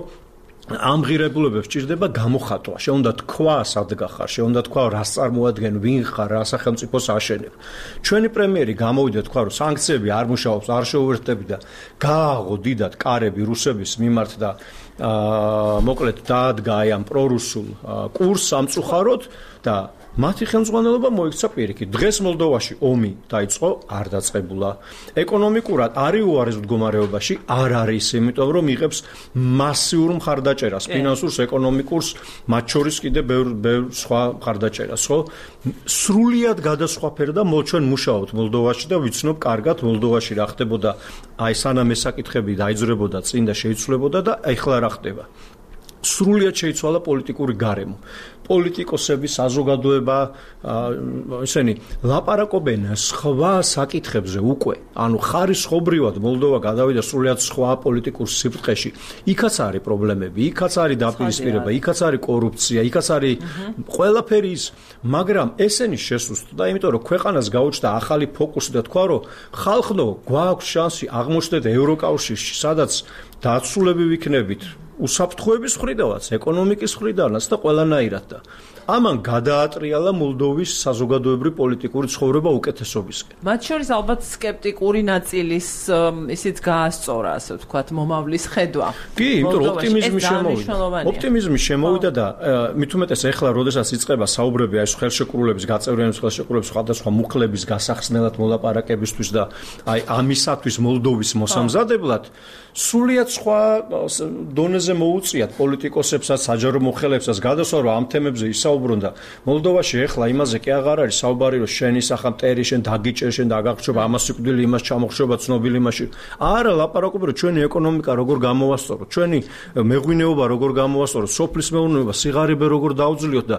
ამ ღირებულებებს ჭირდება გამოხატვა. შეუნდა თქვა სად გახარ, შეუნდა თქვა რას წარმოადგენ, ვინ ხარ, რა სახელმწიფოს აშენებ. ჩვენი პრემიერი გამოვიდა თქვა, რომ სანქციები არ მუშაობს, არ შეუერთდები და გააღო დიდად კარები რუსების მიმართ და აა მოკლედ დაადგა აი ამ პრორუსულ კურსს სამწუხაროდ და მათი ხელმძღვანელობა მოიქცა პირიქით. დღეს მოლდოვაში ომი დაიწყო, არ დაწყებულა. ეკონომიკურად არის უარეს მდგომარეობაში, არ არის, იმიტომ რომ იღებს მასიურ მხარდაჭერას, ფინანსურს, ეკონომიკურს, მათ შორის კიდე ბევრ ბევრ სხვა მხარდაჭერას, ხო? სრულიად გადასხვაფერდა ჩვენ მუშაობთ მოლდოვაში და ვიცნობ კარგად მოლდოვაში რა ხდებოდა, აი სანამ ეს საკითხები დაიძრებოდა წინ და შეიცვლებოდა და ეხლა რა ხდება. სრულიად შეიცვალა პოლიტიკური გარემო. პოლიტიკოსები, საზოგადოება, ესენი ლაპარაკობენ სხვა საკითხებზე უკვე. ანუ ხარისხობრივად მოლდოვა გადავიდა სრულიად სხვა პოლიტიკურ სიბრტყეში. იქაც არის პრობლემები, იქაც არის დაპირისპირება, იქაც არის კორუფცია, იქაც არის ყველაფერი ის, მაგრამ ესენი შესუსტდა, იმიტომ რომ ქვეყანას გაუჩნდა ახალი ფოკუსი და თქვა, რომ ხალხო, გვაქვს შანსი აღმოჩნდეთ ევროკავშირში, სადაც დაცულები ვიქნებით. უსაფრთხოების მხრიდანაც, ეკონომიკის მხრიდანაც და ყველანაირად და ამან გადაატრიალა მოლდოვის საზოგადოებრივი პოლიტიკური ცხოვრება უკეთესობისკენ. მათ შორის ალბათ სკეპტიკური ნაწილის ისიც გაასწორა, ასე ვთქვათ, მომავლის ხედვა. კი, იმიტომ რომ ოპტიმიზმი შემოვიდა. ოპტიმიზმი შემოვიდა და მით უმეტეს ეხლა, როდესაც იწყება საუბრები აი ხელშეკრულების, გაწევრიანების ხელშეკრულების სხვადასხვა მუხლების გასახსნელად მოლაპარაკებისთვის და აი ამისათვის მოლდოვის მოსამზადებლად სრულიად სხვა დონეზე მოუწიათ პოლიტიკოსებსაც, საჯარო მოხელეებსაც გადასვა, რომ ამ თემებზე ისაუბრონ და მოლდოვაში ეხლა იმაზე კი აღარ არის საუბარი, რომ შენი სახა მტერი, შენ დაგიჭერ, შენ დაგახშობა, ამას სიკვდილი, იმას ჩამოხშობა, ცნობილი იმაში. არა, ლაპარაკობენ, რომ ჩვენი ეკონომიკა როგორ გამოვასწოროთ, ჩვენი მეღვინეობა როგორ გამოვასწოროთ, სოფლის მეურნეობა, სიღარიბე როგორ დაუძლიოთ და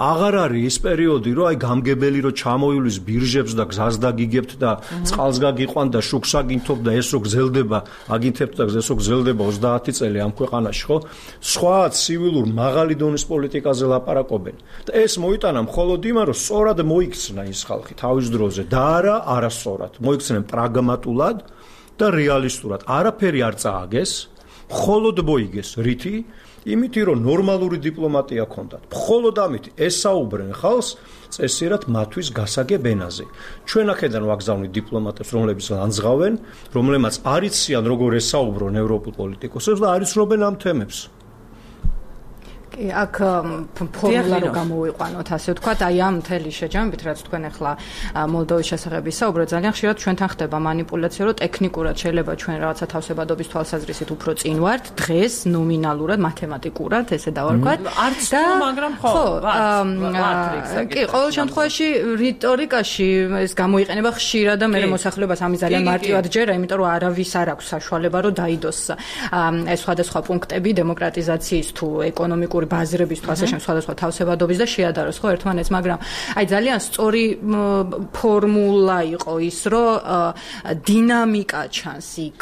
აღარ არის ის პერიოდი, რომ აი გამგებელი რომ ჩამოივლის ბირჟებს და გზას დაგიგებთ და წყალს გაგიყვან და შუქს აგინთობ და ეს რო გზელდება, აგინთ და გზესო გზელდება ოცდაათი წელი ამ ქვეყანაში, ხო? სხვა ცივილურ მაღალი დონის პოლიტიკაზე ლაპარაკობენ. და ეს მოიტანა მხოლოდ იმან, რომ სწორად მოიქცნა ის ხალხი თავის დროზე და არა არასწორად. მოიქცნენ პრაგმატულად და რეალისტურად. არაფერი არ წააგეს, მხოლოდ მოიგეს რითი? იმითი, რომ ნორმალური დიპლომატია ჰქონდათ. მხოლოდ ამით ესაუბრენ ხალხს წესიერად მათთვის გასაგებ ენაზე. ჩვენ აქედან ვაგზავნით დიპლომატებს, რომლებიც ლანძღავენ, რომლებმაც არიციან როგორ ესაუბრონ ევროპულ პოლიტიკოსებს და არიცნობენ ამ თემებს. აქ ფორმულა რო გამოვიყვანოთ, ასე ვთქვათ, აი ამ მთელი შეჯამებით, რაც თქვენ ახლა მოლდოვის შესახებ ისაუბრეთ, ძალიან ხშირად ჩვენთან ხდება манипуляცია, რომ ტექნიკურად შეიძლება ჩვენ რაღაცა თავსებადობის თვალსაზრისით უფრო წინ ვართ, დღეს ნომინალურად, მათემატიკურად, ესე დავარქვათ. არც თუ, მაგრამ ხო, კი, ყოველ შემთხვევაში რიტორიკაში ეს გამოიყენება ხშირად და მე მოსახლეობას ამის ძალიან მარტივად ჯერა, იმიტომ რომ არავის არ აქვს საშუალება, რომ დაიდოს ეს სხვადასხვა პუნქტები დემოკრატიზაციის თუ ეკონომიკური ბაზრების თუ ასე შემ სხვადასხვა თავსებადობის და შეადაროს ხო ერთმანეთს, მაგრამ აი ძალიან სწორი ფორმულა იყო ის, რომ დინამიკა ჩანს იქ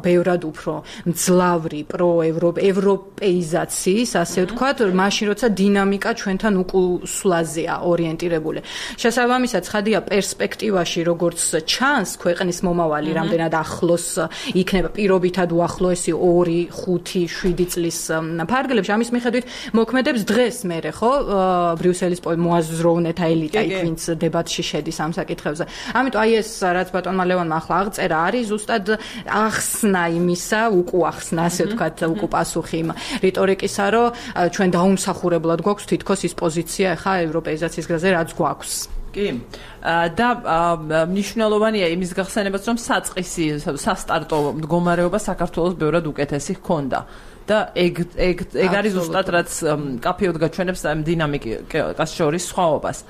ბევრად უფრო მძლავრი პროევროპეიზაციის, ასე ვთქვათ, მაშინ როცა დინამიკა ჩვენთან უკუსვლაზეა ორიენტირებული. შესაბამისად, ცხადია პერსპექტივაში როგორც ჩანს ქვეყნის მომავალი რამდენად ახლოს იქნება პირობითად უახლოესი ორი, ხუთი, შვიდი წლის ფარგლებში, ამის მიხედვით მოქმედებს დღეს მერე ხო ბრიუსელის მოაზროვნეთა ელიტა იქ ვინც დებატში შედის ამ საკითხებზე. ამიტომ აი ეს რაც ბატონმა ლევონმა ახლა აღწერა არის ზუსტად ახსნა იმისა, უკუახსნა ასე ვთქვათ, უკუპასუხი იმ რიტორიკისა, რომ ჩვენ დაუმსახურებლად გვაქვს თითქოს ის პოზიცია ახლა ევროპეიზაციის გზაზე რაც გვაქვს. კი. და მნიშვნელოვანია იმის გახსენებაც, რომ საწყისი სასტარტო მდგომარეობა საქართველოს ბევრად უკეთესი ჰქონდა. და ეგ ეგ ეგ არის ზუსტად რაც კაფეოდ გაჩვენებს ამ დინამიკას შორის სხვაობას.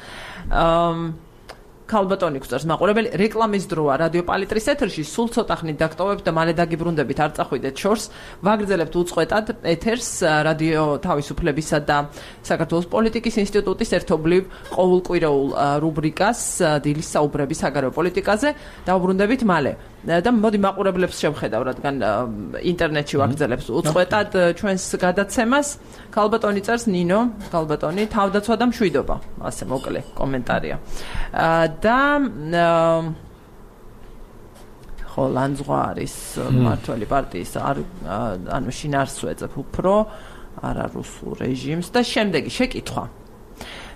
ქალბატონი გვწევს მაყურებელი, რეკლამის დროა რადიო პალიტრის ეთერში, სულ ცოტა ხნით დაგტოვებთ და მალე დაგიბრუნდებით, არ წახვიდეთ შორს. ვაგრძელებთ უწყვეტად ეთერს რადიო თავისუფლებისა და საქართველოს პოლიტიკის ინსტიტუტის ერთობლივ ყოველკვირეულ რუბრიკას დილის საუბრები საგარეო პოლიტიკაზე. დავბრუნდებით მალე. და მოდი მაყურებლებს შევხედავ, რადგან ინტერნეტში ვაგრძელებს უწყვეტად ჩვენს გადაცემას. ქალბატონი წერს, ნინო, ქალბატონი, თავდაცვა და მშვიდობა. ასე მოკლე კომენტარია. და ხო, ლანძღვა არის მმართველი პარტიის ანუ შინაარსვეწებ უფრო არა რუსულ რეჟიმს და შემდეგი შეკითხვა.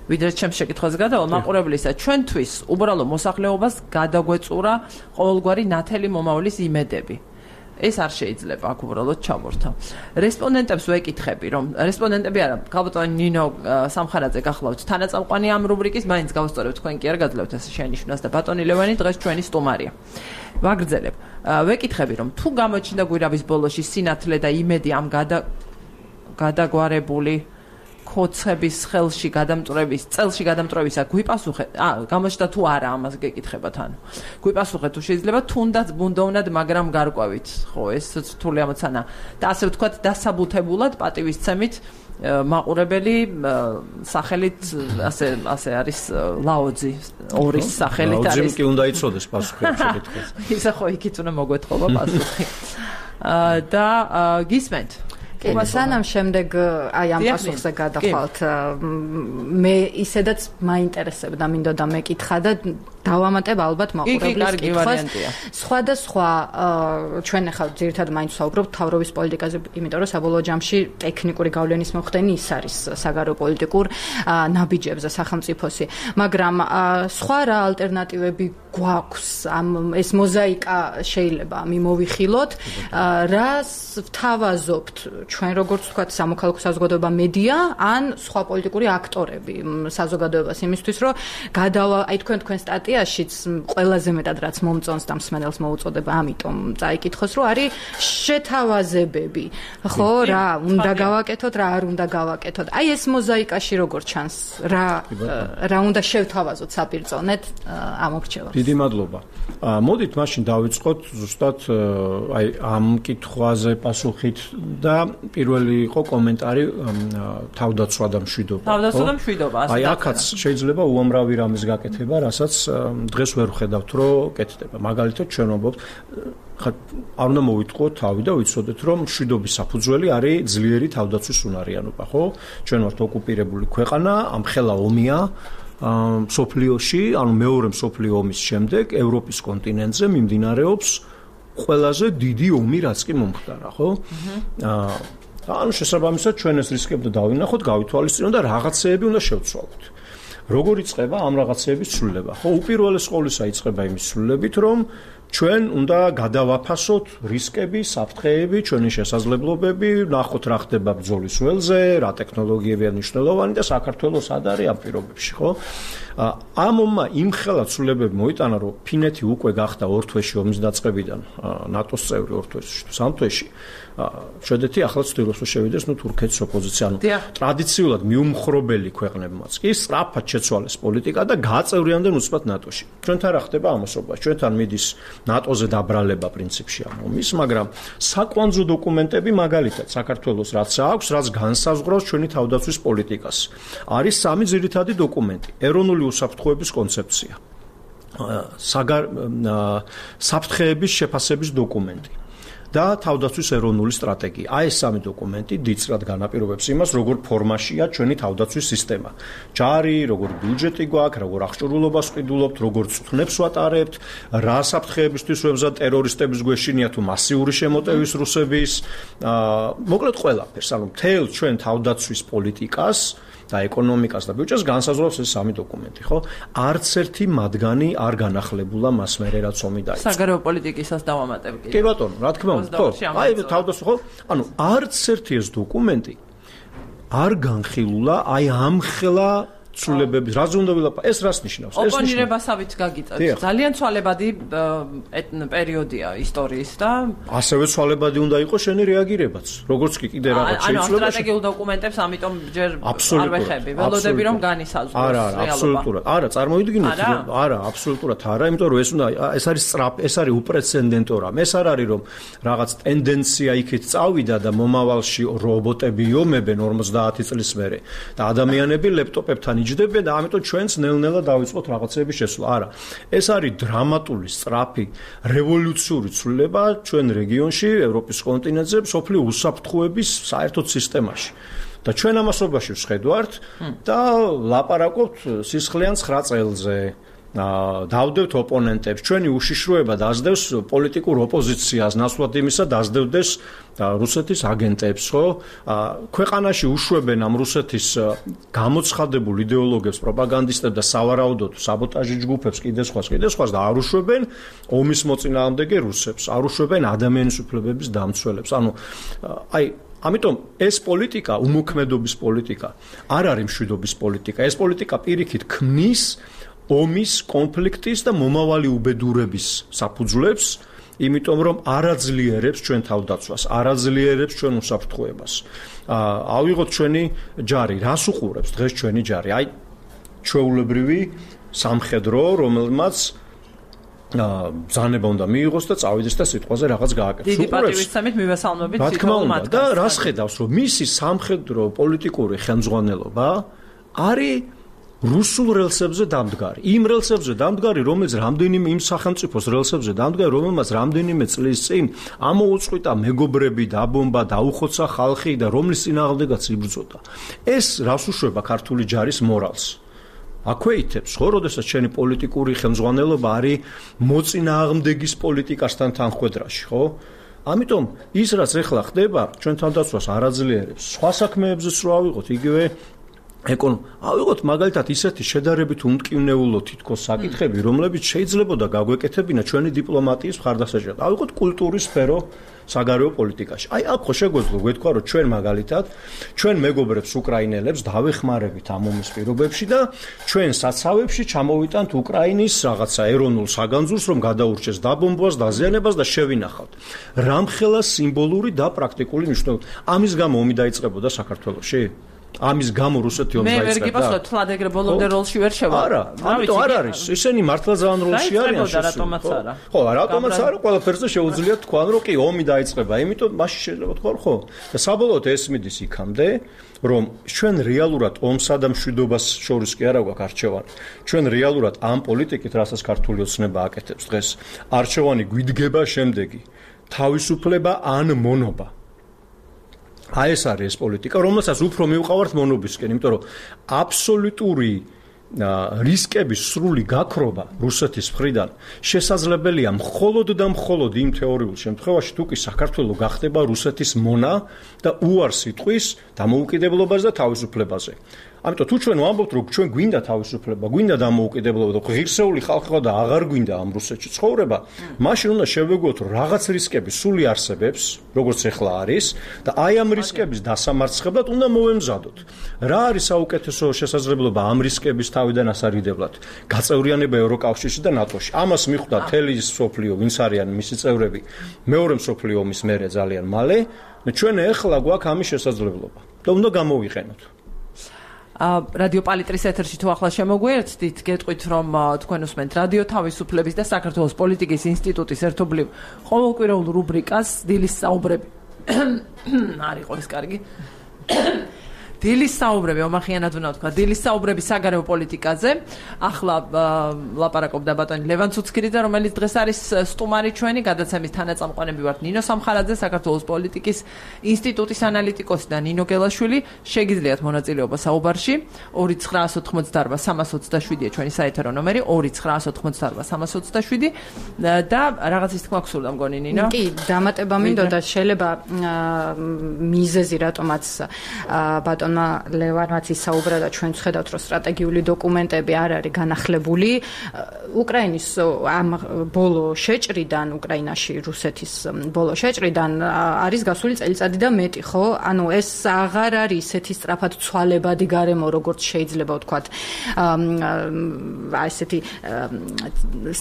ვიდრე ჩემს შეკითხვაზე გადავალ, მაყურებლისა, ჩვენთვის უბრალო მოსახლეობას გადაგვეწურა ყოველგვარი ნათელი მომავლის იმედები. ეს არ შეიძლება აქ უბრალოდ ჩავორთა. რესპონდენტებს ვეკითხები, რომ რესპონდენტები არა, ქალბატონი ნინო სამხარაძე გახლავთ თანაწამყვანი ამ რუბრიკის, მაინც გავსწორებთ, თქვენ კი არ გაძლევთ ეს შენიშვნას და ბატონი ლევანი დღეს ჩვენი სტუმარია. ვაგრძელებ. ვეკითხები, რომ თუ გამოჩნდა გვირავის ბოლოში სინათლე და იმედი ამ გადა გადაგვარებული ხოცების ხელში გადამწვრების, წელში გადამწვრებისა გვიპასუხეთ. აა, გამოჩნდა თუ არა, ამას გეკითხებათ, ანუ. გვიპასუხეთ თუ შეიძლება თუნდაც ბუნდოვნად, მაგრამ გარკვევით, ხო, ეს რთული ამოცანა. და ასე ვთქვათ, დასაბუთებულად პატივისცემით მაყურებელი სახელით ასე ასე არის ლაოძი ორის სახელით არის. ლაოძიმ კი უნდა იცოდეს პასუხი ამ შეკითხვას. ისა ხო იქით უნდა მოგვეთხოვა პასუხი. და გისმენთ კი, სანამ შემდეგ აი ამ პასუხზე გადახვალთ, მე ისედაც მაინტერესებდა, მინდოდა მეკითხა და დავამატებ ალბათ მაყურებლის კითხვას. სხვადასხვა ჩვენ ახლა ძირითადად მაინც ვსაუბრობთ თავრობის პოლიტიკაზე, იმიტომ რომ საბოლოო ჯამში ტექნიკური გავლენის მოხდენი ის არის საგარეო პოლიტიკურ ნაბიჯებზე სახელმწიფოსი, მაგრამ სხვა რა ალტერნატივები გვაქვს, ამ ეს მოზაიკა შეიძლება მიმოვიხილოთ, რას ვთავაზობთ ჩვენ როგორც ვთქვათ სამოქალაქო საზოგადოება მედია ან სხვა პოლიტიკური აქტორები საზოგადოებას იმისთვის რომ გადავა აი თქვენ თქვენ სტატიაშიც ყველაზე მეტად რაც მომწონს და მსმენელს მოუწოდება ამიტომ წაიკითხოს რომ არის შეთავაზებები ხო რა უნდა გავაკეთოთ რა არ უნდა გავაკეთოთ აი ეს მოზაიკაში როგორ ჩანს რა რა უნდა შევთავაზოთ საპირწონეთ ამ ორჩევას დიდი მადლობა მოდით მაშინ დავიწყოთ ზუსტად აი ამ კითხვაზე პასუხით და პირველი იყო კომენტარი თავდაცვა და მშვიდობა. თავდაცვა და მშვიდობა. აი აქაც შეიძლება უამრავი რამის გაკეთება, რასაც დღეს ვერ ვხედავთ, რომ კეთდება. მაგალითად, ჩვენ ვამბობთ, ხა არ უნდა მოვიტყუოთ თავი და ვიცოდეთ, რომ მშვიდობის საფუძველი არის ძლიერი თავდაცვის უნარიანობა, ხო? ჩვენ ვართ ოკუპირებული ქვეყანა, ამხელა ომია სოფლიოში, ანუ მეორე მსოფლიო ომის შემდეგ ევროპის კონტინენტზე მიმდინარეობს ყველაზე დიდი ომი რაც კი მომხდარა, ხო? აა ანუ შესაბამისად ჩვენ ეს რისკები დავინახოთ, გავითვალისწინოთ და რაღაცეები უნდა შევცვალოთ. როგორ იწყება ამ რაღაცეების ცვლილება? ხო, უპირველეს ყოვლისა იწყება იმის ცვლილებით, რომ ჩვენ უნდა გადავაფასოთ რისკები, საფრთხეები, ჩვენი შესაძლებლობები, ნახოთ რა ხდება ბრძოლის ველზე, რა ტექნოლოგიებია მნიშვნელოვანი და საქართველოს სად არის ამ პირობებში, ხო? ამ ომმა იმხელა ცვლილებები მოიტანა, რომ ფინეთი უკვე გახდა ორ თვეში ომის დაწყებიდან ნატოს წევრი ორ თვეში, სამ თვეში. შვედეთი ახლა ცდილობს რომ შევიდეს ნუ თურქეთის ოპოზიცია, ანუ ტრადიციულად მიუმხრობელი ქვეყნებმაც კი სწრაფად შეცვალეს პოლიტიკა და გააწევრიანდნენ უცბად ნატოში. ჩვენთან რა ხდება ამასობაში? ჩვენთან მიდის ნატოზე დაბრალება პრინციპში ამ ომის, მაგრამ საკვანძო დოკუმენტები მაგალითად საქართველოს რაც აქვს, რაც განსაზღვრავს ჩვენი თავდაცვის პოლიტიკას. არის სამი ძირითადი დოკუმენტი. ეროვნული უსაფრთხოების კონცეფცია. საგარ საფრთხეების შეფასების დოკუმენტი. და თავდაცვის ეროვნული სტრატეგია. აი ეს სამი დოკუმენტი დიდწრად განაპირობებს იმას, როგორ ფორმაშია ჩვენი თავდაცვის სისტემა. ჯარი, როგორ ბიუჯეტი გვაქვს, როგორ აღჭურვილობას ვყიდულობთ, როგორ წვნებს ვატარებთ, რა საფრთხეებისთვის ვებზად ტერორისტების გვეშინია თუ მასიური შემოტევის რუსების, აა მოკლედ ყველაფერს, ანუ მთელ ჩვენ თავდაცვის პოლიტიკას და ეკონომიკას და ბიუჯეტს განსაზღვრავს ეს სამი დოკუმენტი, ხო? არც ერთი მათგანი არ განახლებულა მას მერე რაც ომი დაიწყო. საგარეო პოლიტიკისას დავამატებ კიდე. კი ბატონო, რა თქმა უნდა, ხო? აი თავდაცვა, ხო? ანუ არც ერთი ეს დოკუმენტი არ განხილულა აი ამხელა ცვლილებების, რაზე უნდა ვილაპარაკო? ეს რას ნიშნავს? ეს ოპონირებასავით გაგიწევთ. ძალიან ცვალებადი პერიოდია ისტორიის და ასევე ცვალებადი უნდა იყოს შენი რეაგირებაც. როგორც კი კიდე რაღაც შეიძლება. ანუ სტრატეგიულ დოკუმენტებს ამიტომ ჯერ არ ვეხები. ველოდები რომ განისაზღვროს რეალობა. არა, აბსოლუტურად. არა, წარმოიდგინეთ, არა, აბსოლუტურად არა, იმიტომ რომ ეს უნდა ეს არის სწრაფ, ეს არის უპრეცედენტო რამ. ეს არ არის რომ რაღაც ტენდენცია იქით წავიდა და მომავალში რობოტები იომებენ ორმოცდაათი წლის მერე და ადამიანები ლეპტოპებთან იჯდებიან და ამიტომ ჩვენც ნელ-ნელა დავიწყოთ რაღაცების შესვლა. არა. ეს არის დრამატული, სწრაფი, რევოლუციური ცვლილება ჩვენ რეგიონში, ევროპის კონტინენტზე, სოფლიო უსაფრთხოების საერთოდ სისტემაში. და ჩვენ ამასობაში ვხედავთ და ლაპარაკობთ სისხლიან ცხრა წელზე. დავდევთ ოპონენტებს, ჩვენი უშიშროება დაძდევს პოლიტიკურ ოპოზიციას, ნაცვლად იმისა დაძდევდეს რუსეთის აგენტებს, ხო? ქვეყანაში უშვებენ ამ რუსეთის გამოცხადებულ იდეოლოგებს, პროპაგანდისტებს და სავარაუდოდ საბოტაჟი ჯგუფებს, კიდე სხვას, კიდე სხვას და არ უშვებენ ომის მოწინააღმდეგე რუსებს, არ უშვებენ ადამიანის უფლებების დამცველებს. ანუ აი ამიტომ ეს პოლიტიკა, უმოქმედობის პოლიტიკა, არ არის მშვიდობის პოლიტიკა. ეს პოლიტიკა პირიქით ქმნის ომის, კონფლიქტის და მომავალი უბედურების საფუძვლებს, იმიტომ რომ არაძლიერებს ჩვენ თავდაცვას, არაძლიერებს ჩვენ უსაფრთხოებას. ავიღოთ ჩვენი ჯარი, რას უყურებს დღეს ჩვენი ჯარი? აი ჩვეულებრივი სამხედრო, რომელმაც ბრძანება უნდა მიიღოს და წავიდეს და სიტყვაზე რაღაც გააკეთოს. დიდი პატივისცემით მივესალმებით რა თქმა უნდა და რას ხედავს, რომ მისი სამხედრო პოლიტიკური ხელმძღვანელობა არის რუსულ რელსებზე დამდგარი. იმ რელსებზე დამდგარი, რომელიც რამდენიმე იმ სახელმწიფოს რელსებზე დამდგარი, რომელმაც რამდენიმე წლის წინ ამოუწყვიტა მეგობრები, დაბომბა, დაუხოცა ხალხი და რომლის წინააღმდეგაც იბრძოდა. ეს რას უშვება ქართული ჯარის მორალს? აქვეითებს, ხო, როდესაც ჩვენი პოლიტიკური ხელმძღვანელობა არის მოწინააღმდეგის პოლიტიკასთან თანხვედრაში, ხო? ამიტომ ის რაც ეხლა ხდება, ჩვენ თავდაცვას არაძლიერებს. სხვა საქმეებზეც რო ავიღოთ, იგივე ეკონო, ავიღოთ მაგალითად ისეთი შედარებით უმტკივნეულო თითქოს საკითხები, რომლებიც შეიძლებოდა გაგვეკეთებინა ჩვენი დიპლომატიის მხარდასაჭერად. ავიღოთ კულტურის სფერო საგარეო პოლიტიკაში. აი, აქ ხო შეგვეძლო გვეთქვა, რომ ჩვენ მაგალითად ჩვენ მეგობრებს უკრაინელებს დავეხმარებით ამ ომის პირობებში და ჩვენ საცავებში ჩამოვიტანთ უკრაინის რაღაცა ეროვნულ საგანძურს, რომ გადაურჩეს დაბომბვას, დაზიანებას და შევინახავთ. რამხელა სიმბოლური და პრაქტიკული მნიშვნელობა. ამის გამო ომი დაიწყებოდა საქართველოში? ამის გამო რუსეთი ომს დაიწყებდა. მე ვერ გიპასუხებ, თლად ეგრე ბოლომდე როლში ვერ შევა. არა, ამიტომ არ არის. ისინი მართლა ძალიან როლში არიან. რატომაც არა. ხო, რატომაც არა, ყველაფერზე შეუძლია თქვან, რომ კი ომი დაიწყება, იმიტომ მაშინ შეიძლება თქვა, ხო. და საბოლოოდ ეს მიდის იქამდე, რომ ჩვენ რეალურად ომსა და მშვიდობას შორის კი არა გვაქვს არჩევანი. ჩვენ რეალურად ამ პოლიტიკით, რასაც ქართული ოცნება აკეთებს დღეს, არჩევანი გვიდგება შემდეგი: თავისუფლება ან მონობა. აი ეს არის ეს პოლიტიკა, რომელსაც უფრო მივყავართ მონობისკენ, იმიტომ რომ აბსოლუტური რისკების სრული გაქრობა რუსეთის მხრიდან შესაძლებელია მხოლოდ და მხოლოდ იმ თეორიულ შემთხვევაში, თუ კი საქართველო გახდება რუსეთის მონა და უარს იტყვის დამოუკიდებლობას და თავისუფლებაზე. ამიტომ თუ ჩვენ ვამბობთ, რომ ჩვენ გვინდა თავისუფლება, გვინდა დამოუკიდებლობა და ღირსეული ხალხი ხარ და აღარ გვინდა ამ რუსეთში ცხოვრება, მაშინ უნდა შევეგოთ, რომ რაღაც რისკები სული არსებობს, როგორც ახლა არის და აი ამ რისკების დასამარცხებლად უნდა მოვემზადოთ. რა არის საუკეთესო შესაძლებლობა ამ რისკების თავიდან ასარგებლად? გაწევრიანება ევროკავშირში და ნატოში. ამას მიხვდა მთელი მსოფლიო, ვინც არიან მისი წევრები, მეორე მსოფლიო ომის მერე ძალიან მალე. ჩვენ ახლა გვაქვს ამის შესაძლებლობა და უნდა გამოვიყენოთ. რადიო პალიტრის ეთერში თუ ახლა შემოგვიერთდით, გეტყვით, რომ თქვენ უსმენთ რადიო თავისუფლების და საქართველოს პოლიტიკის ინსტიტუტის ერთობლივ ყოველკვირეულ რუბრიკას დილის საუბრები. არ იყო ეს კარგი. დილის საუბრები, ომახიანად უნდა ვთქვა, დილის საუბრები საგარეო პოლიტიკაზე. ახლა ლაპარაკობდა ბატონი ლევან ცუცქირიძე, რომელიც დღეს არის სტუმარი ჩვენი, გადაცემის თანაწამყვანები ვართ ნინო სამხარაძე, საქართველოს პოლიტიკის ინსტიტუტის ანალიტიკოსი და ნინო გელაშვილი. შეგიძლიათ მონაწილეობა საუბარში. ორი ცხრაას ოთხმოცდაარბა სამას ოცდაშვიდია ჩვენი საეთერო ნომერი, ორი ცხრაას ოთხმოცდაარბა სამას ოცდაშვიდი და რაღაცის თქმა გსურდა მგონი ნინო. კი, დამატება მინდოდა, შეიძლება მიზეზი რატომაც ბატონმა ლევანმაც ისაუბრა და ჩვენ ვხედავთ, რომ სტრატეგიული დოკუმენტები არ არის განახლებული. უკრაინის ამ ბოლო შეჭრიდან, უკრაინაში რუსეთის ბოლო შეჭრიდან არის გასული წელიწადი და მეტი, ხო? ანუ ეს აღარ არის ისეთი სწრაფად ცვალებადი გარემო, როგორც შეიძლება ვთქვათ, აი ესეთი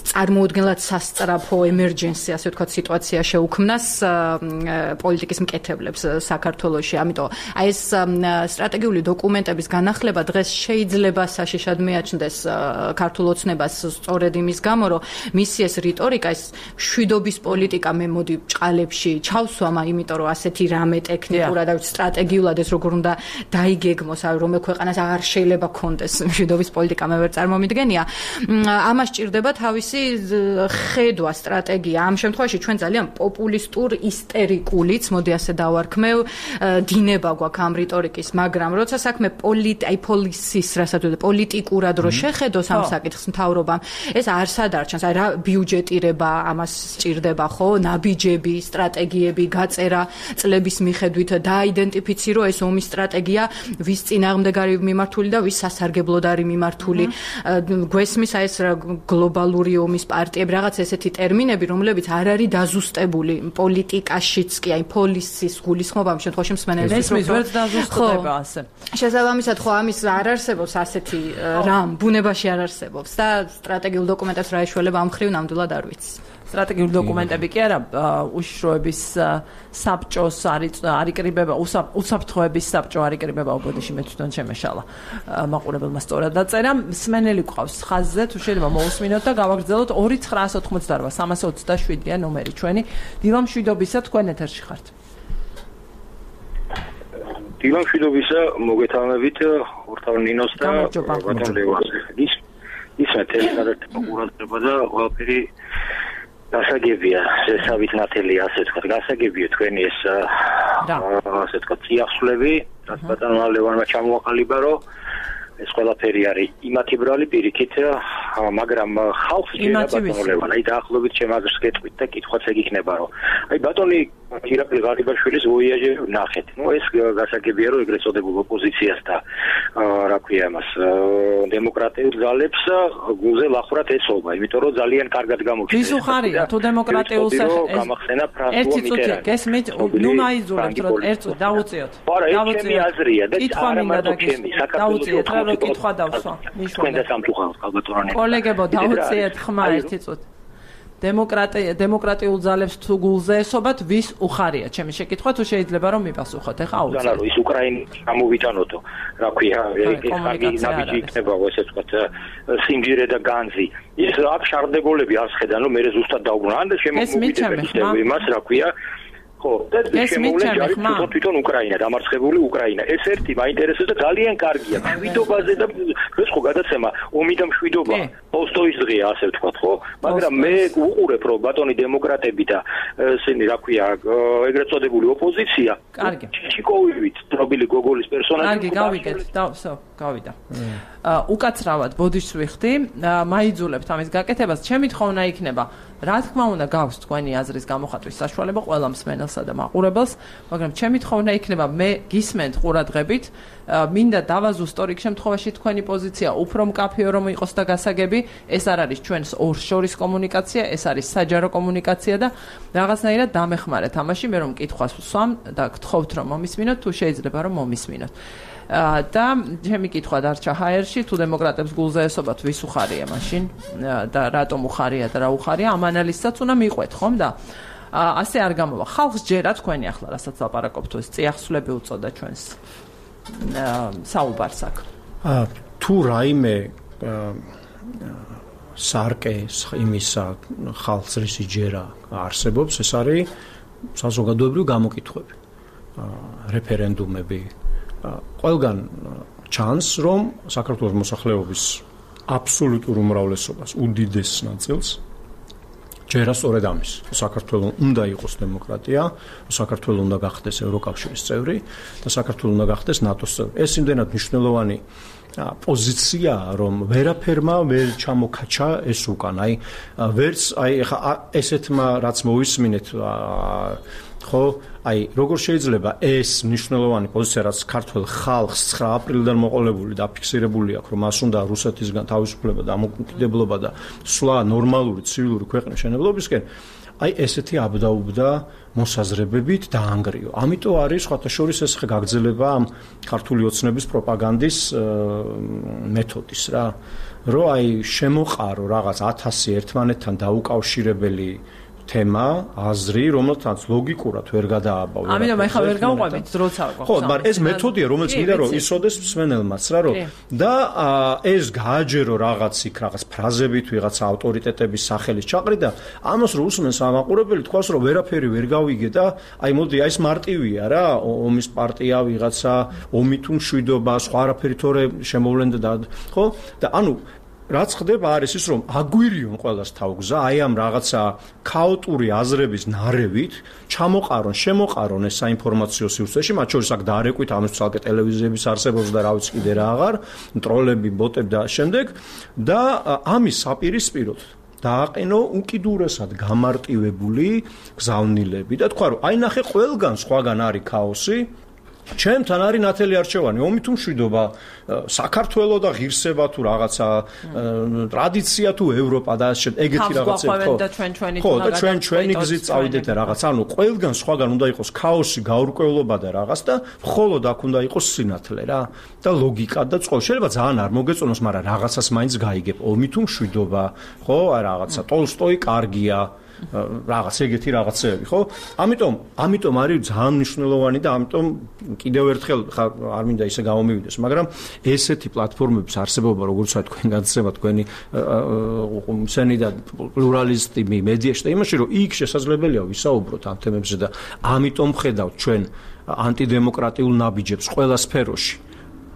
წარმოუდგენლად სასწრაფო ემერჯენსი, ასე ვთქვათ, სიტუაცია შეუქმნას პოლიტიკის მკეთებლებს საქართველოში. ამიტომ აი ეს სტრატეგიული დოკუმენტების განახლება დღეს შეიძლება საშიშად მიაჩნდეს ქართულ ოცნებას სწორედ იმის გამო, რომ მისი ეს რიტორიკა, ეს მშვიდობის პოლიტიკა მე მოდი ბჭყალებში ჩავსვამა, იმიტომ რომ ასეთი რამე ტექნიკურად და სტრატეგიულად ეს როგორ უნდა დაიგეგმოს, აი რომელ ქვეყანას აღარ შეიძლება კონდეს მშვიდობის პოლიტიკა, მე ვერ წარმომიდგენია. ამას ჭირდება თავისი ხედვა, სტრატეგია. ამ შემთხვევაში ჩვენ ძალიან პოპულისტურ, ისტერიკულიც, მოდი ასე დავარქმევ, დინება გვაქვს ამ რიტორიკის მაგრამ როცა საქმე პოლიტ აი პოლისის რასაც ვთქვი პოლიტიკურად რო შეხედოს ამ საკითხს მთავრობამ ეს არ სადარჩენს აი რა ბიუჯეტირება ამას სჭირდება ხო ნაბიჯები სტრატეგიები გაწერა წლების მიხედვით დააიდენტიფიცირო ეს ომის სტრატეგია ვის წინააღმდეგ არის მიმართული და ვის სასარგებლოდ არის მიმართული გვესმის აი ეს გლობალური ომის პარტიები რაღაც ესეთი ტერმინები რომლებიც არ არის დაზუსტებული პოლიტიკაშიც კი აი პოლისის გულისხმობა ამ შემთხვევაში მსმენელს ესმის ვერც დაზუსტდება ასე შესაბამისად ხო ამის არ არსებობს ასეთი რამ ბუნებაში არ არსებობს და სტრატეგიულ დოკუმენტებს რა ეშველება ამ ხრივ ნამდვილად არ ვიცი სტრატეგიული დოკუმენტები კი არა უშიშროების საბჭოს არიკრიბება უსაფრთხოების საბჭო არიკრიბება უბოდიში მე თვითონ შემეშალა მაყურებელმა სწორად დაწერა მსმენელი გვყავს ხაზზე თუ შეიძლება მოусმინოთ და გავაგრძელოთ ორი ცხრა ოცდაოთხმოცდარბა სამასი ოცდაშვიდია ნომერი ჩვენი დილამშვიდობისა თქვენ ეთერში ხართ დილამშვიდობისა მოგეთანხმებით ორთავ ნინოს და ბატონ ლევანზე ის ისე თელესადეთ ყურადღება და ყველაფერი გასაგებია შესავით ნათელი ასე ვთქვათ გასაგებია თქვენი ეს ასე ვთქვათ წიაღსვლები რაც ბატონ ლევანმა ჩამოაყალიბა რომ ეს ყველაფერი არის იმათი ბრალი პირიქით მაგრამ ხალხს ჯერა ბატონ ლევან აი დაახლოებით შემაგრს გეტყვით და კითხვაც ეგ იქნება რომ აი ბატონი ირაკლი ღარიბაშვილის ვოიაჟი ნახეთ ნუ ეს გასაგებია რომ ეგრეთ წოდებულ ოპოზიციას და რა ქვია მას დემოკრატიულ ძალებს გულზე ლახრად ეცობა იმიტომ რომ ძალიან კარგად გამოჩნდა ის უხარია თუ დემოკრატიულს გამახსენა ფრანსუა მიტერანი გესმით ნუ მაიძულებთ რომ ერთ წუთი დავუწიოთ დავუწიოთ აზრია და არა მარტო დავუწიოთ რა რო კითხვა დავსვა მიშვა თქვენ და სამწუხაროდ კალბატონანი კოლეგებო დავუწიეთ ხმა ერთი წუთი დემოკრატია დემოკრატიულ ძალებს თუ გულზე ესობათ ვის უხარია ჩემი შეკითხვა თუ შეიძლება რომ მიპასუხოთ ეხა აუცილებლად ანუ ის უკრაინის გამოვიტანოთო რა ქვია ეს კარგი ნაბიჯი იქნება ესე ვთქვათ სიმჯირე და განძი ის აქ შარდებოლები არ შეხედან რომ მე ზუსტად დაუბრუნდა ან შემოვიდნენ იმას რა ქვია ხო და შემოვლენ ჯარი თვითონ უკრაინა დამარცხებული უკრაინა ეს ერთი მაინტერესებს და ძალიან კარგია მშვიდობაზე და ეს ხო გადაცემა ომი და მშვიდობა ტოლსტოის დღეა ასე ვთქვათ ხო მაგრამ მე უყურებ რომ ბატონი დემოკრატები და ესენი რა ქვია ეგრეთ წოდებული ოპოზიცია კარგი ჩიკოვივით დრობილი გოგოლის პერსონაჟი კარგი გავიგეთ და всё გავიდა უკაცრავად ბოდიშს ვიხდი მაიძულებთ ამის გაკეთებას ჩემი თხოვნა იქნება რა თქმა უნდა გაქვს თქვენი აზრის გამოხატვის საშუალება ყველა მსმენელსა და მაყურებელს მაგრამ ჩემი თხოვნა იქნება მე გისმენთ ყურადღებით მინდა დავაზუსტო რიგ შემთხვევაში თქვენი პოზიცია უფრო მკაფიო რომ იყოს და გასაგები ეს არ არის ჩვენს ორშორის კომუნიკაცია ეს არის საჯარო კომუნიკაცია და რაღაცნაირად დამეხმარეთ ამაში მე რომ კითხვას ვსვამ და გთხოვთ რომ მომისმინოთ თუ შეიძლება რომ მომისმინოთ და ჩემი კითხვა დარჩა ჰაერში თუ დემოკრატებს გულზე ესობათ ვის უხარია მაშინ და რატომ უხარია და რა უხარია ამ ანალიზსაც უნდა მიყვეთ ხომ და ასე არ გამოვა ხალხს ჯერა თქვენი ახლა რასაც ლაპარაკობთ ეს წიაღსვლები უწოდა ჩვენს საუბარს აქ თუ რაიმე სარკე იმისა ხალხს რისი ჯერა არსებობს ეს არის საზოგადოებრივი გამოკითხვები რეფერენდუმები ყველგან ჩანს რომ საქართველოს მოსახლეობის აბსოლუტურ უმრავლესობას უდიდეს ნაწილს ჯერა სწორედ ამის საქართველოს უნდა იყოს დემოკრატია საქართველოს უნდა გახდეს ევროკავშირის წევრი და საქართველოს უნდა გახდეს ნატოს წევრი ეს იმდენად მნიშვნელოვანი პოზიცია რომ ვერაფერმა ვერ ჩამოქაჩა ეს უკან აი ვერც აი ხა ესეთმა რაც მოვისმინეთ ხო აი როგორ შეიძლება ეს მნიშვნელოვანი პოზიცია რაც ქართულ ხალხს ცხრა აპრილიდან მოყოლებული და ფიქსირებული აქვს რომ მას უნდა რუსეთისგან თავისუფლება და დამოუკიდებლობა და სვლა ნორმალური ცივილური ქვეყნის შენებლობისკენ აი ესეთი აბდაუბდა მოსაზრებებით დაანგრიო. ამიტომ არის სხვათა შორის ეს გაგრძელება ამ ქართული ოცნების პროპაგანდის მეთოდის რა რომ აი შემოყარო რაღაც ათასი ერთმანეთთან დაუკავშირებელი თემა, აზრი, რომელთაც ლოგიკურად ვერ გადააბავდა. ამიტომ ახლა ვერ გავყვებით როცა გვაქვს. ხო, მაგრამ ეს მეთოდია, რომელიც მინდა რომ ისოდეს მსმენელმაც რა რომ და ეს გააჯერო რაღაც იქ რაღაც ფრაზებით, ვიღაც ავტორიტეტების სახელის ჩაყრიდა, ამას რო უსმენს ამაყურებელი თქვას რომ ვერაფერი ვერ გავიგე და აი მოდი აი ეს მარტივია რა, ომის პარტია ვიღაცა, ომი თუ მშვიდობა, სხვა არაფერი თორე შემოვლენდა და ხო? და ანუ რაც ხდება არის ის, რომ აგვირიონ ყველას თავგზა, აი ამ რაღაცა ქაოტური აზრების ნარევით, ჩამოყარონ, შემოყარონ ეს საინფორმაციო სივრცეში, მათ შორის აქ დაარეკვით ამის ცალკე ტელევიზიების არსებობს და რა ვიცი კიდე რა აღარ, ტროლები, ბოტები და შემდეგ და ამის საპირისპიროდ დააყენო უკიდურესად გამარტივებული გზავნილები და თქვა, რომ აი ნახე ყველგან სხვაგან არის ქაოსი, ჩემთან არის ნათელი არჩევანი, ომი თუ მშვიდობა, საქართველო და ღირსება თუ რაღაცა ტრადიცია თუ ევროპა და ეგეთი რაღაცები ხო. ხო, და ჩვენ ჩვენი გზით წავიდეთ და რაღაც, ანუ ყველგან სხვაგან უნდა იყოს ქაოსი, გაურკვევლობა და რაღაც და მხოლოდ აქ უნდა იყოს სინათლე რა და ლოგიკა და წყო. შეიძლება ძალიან არ მოგეწონოს, მაგრამ რაღაცას მაინც გაიგებ. ომი თუ მშვიდობა, ხო, აი რაღაცა ტოლსტოი კარგია. რაღაც ეგეთი რაღაცეები, ხო? ამიტომ, ამიტომ არის ძალიან მნიშვნელოვანი და ამიტომ კიდევ ერთხელ არ მინდა ისე გამომივიდეს, მაგრამ ესეთი პლატფორმების არსებობა, როგორც ვთქვათ, თქვენ განცემა, თქვენი მსენი და პლურალისტი მედიაში და იმაში, რომ იქ შესაძლებელია ვისაუბროთ ამ თემებზე და ამიტომ ხედავთ ჩვენ ანტიდემოკრატიულ ნაბიჯებს ყველა სფეროში.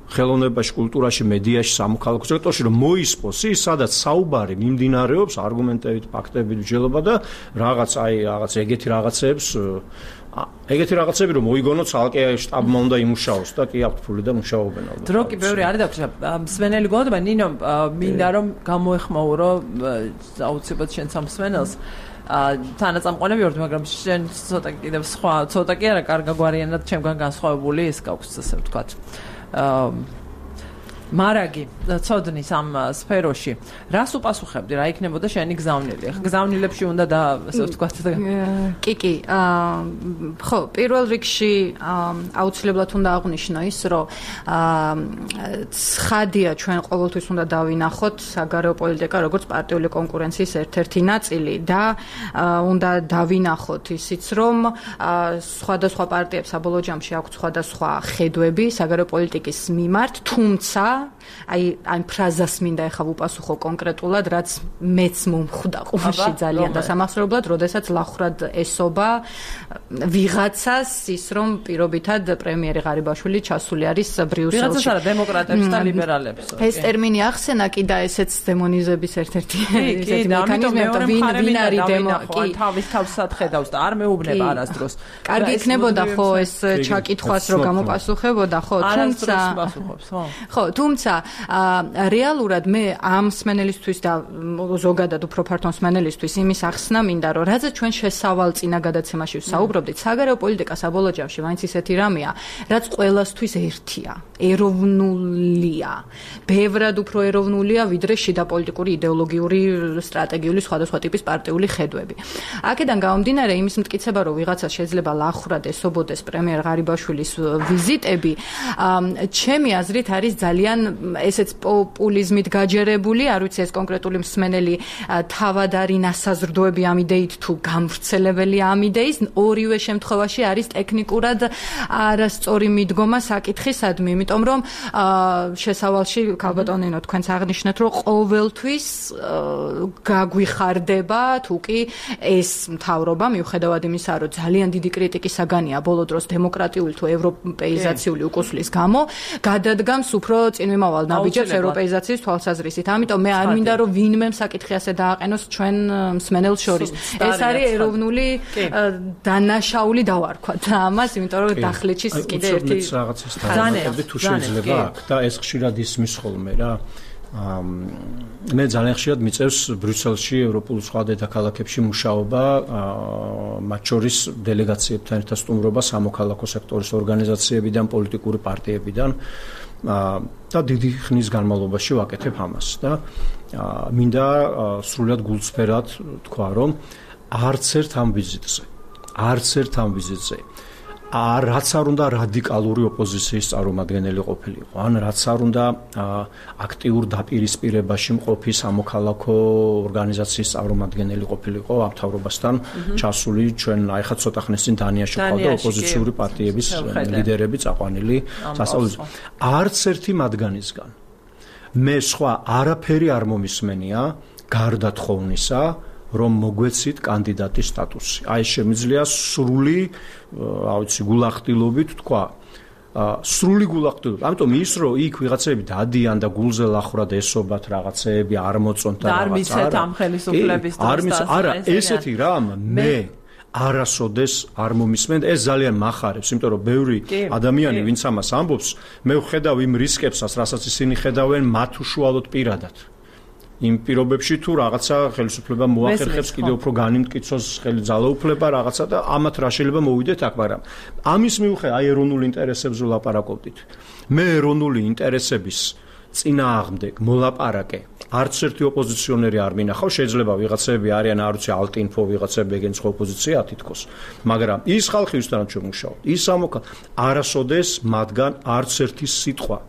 ხელოვნებაში, კულტურაში, მედიაში, სამოქალაქო სექტორში, რომ მოისპოს ის, სადაც საუბარი მიმდინარეობს არგუმენტებით, ფაქტებით, მსჯელობა და რაღაც აი რაღაც ეგეთი რაღაცეებს, ეგეთი რაღაცები რომ მოიგონოთ, ცალკე შტაბმა უნდა იმუშაოს და კი აქვთ ფული და მუშაობენ ალბათ. დრო კი ბევრი არის და მსმენელი გონდება, ნინო, მინდა რომ გამოეხმაურო აუცილებლად შენ სამსმენელს. თანაწამყვანები ვართ, მაგრამ შენ ცოტა კიდევ სხვა, ცოტა კი არა, კარგა გვარიანად ჩემგან განსხვავებული ის გაქვს, ასე ვთქვათ. მარაგი ცოდნის ამ სფეროში რას უპასუხებდი, რა იქნებოდა შენი გზავნილი? ხა გზავნილებში უნდა და ასე ვთქვათ. კი კი, ხო, პირველ რიგში აუცილებლად უნდა აღვნიშნო ის, რომ ცხადია ჩვენ ყოველთვის უნდა დავინახოთ საგარეო პოლიტიკა როგორც პარტიული კონკურენციის ერთ-ერთი ნაწილი და უნდა დავინახოთ ისიც, რომ სხვადასხვა პარტიებს საბოლოო ჯამში აქვს სხვადასხვა ხედვები საგარეო პოლიტიკის მიმართ, თუმცა აი ამ ფრაზას მინდა ეხლა ვუპასუხო კონკრეტულად, რაც მეც მომხვდა ყურში ძალიან და სამახსოვრებლად, როდესაც ლახრად ესობა ვიღაცას ის, რომ პირობითად პრემიერი ღარიბაშვილი ჩასული არის ბრიუსელში. ვიღაცას არა, დემოკრატებს და ლიბერალებს. ეს ტერმინი ახსენა კი და ესეც დემონიზების ერთ-ერთი ესეთი მექანიზმი, ვინ ვინ არის დემოკრატი, თავის თავსად ხედავს და არ მეუბნება არასდროს. კარგი იქნებოდა ხო ეს ჩაკითხვას რომ გამოპასუხებოდა, ხო, თუმცა ხო, თუმცა რეალურად მე ამ მსმენელისთვის და ზოგადად უფრო ფართო მსმენელისთვის იმის ახსნა მინდა, რომ რადგან ჩვენ შესავალ წინა გადაცემაში ვსაუბრობდით, საგარეო პოლიტიკა საბოლოო ჯამში მაინც ისეთი რამეა, რაც ყველასთვის ერთია, ეროვნულია. ბევრად უფრო ეროვნულია, ვიდრე შიდა პოლიტიკური, იდეოლოგიური, სტრატეგიული სხვადასხვა ტიპის პარტიული ხედვები. აქედან გამომდინარე იმის მტკიცება, რომ ვიღაცა შეიძლება ლახრად ესობოდეს პრემიერ ღარიბაშვილის ვიზიტები, ჩემი აზრით არის ძალიან ესეც პოპულიზმით გაჯერებული, არ ვიცი ეს კონკრეტული მსმენელი თავად არის ნასაზრდოები ამ იდეით თუ გამვრცელებელი ამ იდეის, ორივე შემთხვევაში არის ტექნიკურად არასწორი მიდგომა საკითხისადმი, იმიტომ რომ შესავალში ქალბატონინო თქვენც აღნიშნეთ, რომ ყოველთვის გაგვიხარდება თუ კი ეს მთავრობა მიუხედავად იმისა, რომ ძალიან დიდი კრიტიკის საგანია ბოლო დროს დემოკრატიული თუ ევროპეიზაციული უკუსლის გამო, გადადგამს უფრო წინვიმავალ ნაბიჯებს ევროპეიზაციის თვალსაზრისით. ამიტომ მე არ მინდა რომ ვინმე საკითხი ასე დააყენოს ჩვენ მსმენელს შორის. ეს არის ეროვნული დანაშაული დავარქვათ ამას, იმიტომ რომ დახლეთში კიდე ერთი რაღაცას დავარქვათ თუ შეიძლება აქ და ეს ხშირად ისმის ხოლმე რა. მე ძალიან ხშირად მიწევს ბრიუსელში ევროპულ სხვა დედაქალაქებში მუშაობა, მათ შორის დელეგაციებთან ერთად სტუმრობა სამოქალაქო სექტორის ორგანიზაციებიდან, პოლიტიკური პარტიებიდან და დიდი ხნის განმავლობაში ვაკეთებ ამას და მინდა სრულად გულწრფელად თქვა, რომ არც ერთ ამ ვიზიტზე, არც ერთ ამ ვიზიტზე რაც არ უნდა რადიკალური ოპოზიციის წარმომადგენელი ყოფილიყო, ან რაც არ უნდა აქტიურ დაპირისპირებაში მყოფი სამოქალაქო ორგანიზაციის წარმომადგენელი ყოფილიყო ამ მთავრობასთან ჩასული, ჩვენ აი ხა ცოტა ხნის წინ დანიაში ვყავდა ოპოზიციური პარტიების ლიდერები წაყვანილი სასწავლებლად. არც ერთი მათგანისგან მე სხვა არაფერი არ მომისმენია გარდა თხოვნისა, რომ მოგვეცით კანდიდატის სტატუსი. აი შემიძლია სრული, რა ვიცი, გულახდილობით თქვა, სრული გულახდილება. ამიტომ ის რომ იქ ვიღაცები დადიან და გულზე ლახრად ესობათ რაღაცეები არ მოწონთ და რაღაც არ მიცეთ ამ ხელისუფლების დროს არა ესეთი რამ მე არასოდეს არ მომისმენთ ეს ძალიან מחარებს იმიტომ რომ ბევრი ადამიანი ვინც ამას ამბობს მე ვხედავ იმ რისკებსაც რასაც ისინი ხედავენ მათ უშუალოდ პირადად იმ პირობებში თუ რაღაცა ხელისუფლება მოახერხებს კიდევ უფრო განიმტკიცოს ხელი ძალაუფლება რაღაცა და ამათ რა შეიძლება მოვიდეთ აქ მაგრამ ამის მიუხედავად აი ეროვნული ინტერესებზე ვლაპარაკობდით მე ეროვნული ინტერესების წინააღმდეგ მოლაპარაკე არც ერთი ოპოზიციონერი არ მინახავს შეიძლება ვიღაცები არიან არ ვიცი ალტინფო ვიღაცები ეგენ სხვა ოპოზიცია თითქოს მაგრამ ის ხალხი ვისთანაც ჩვენ მუშაობთ ის ამოქა არასოდეს მათგან არც ერთი სიტყვა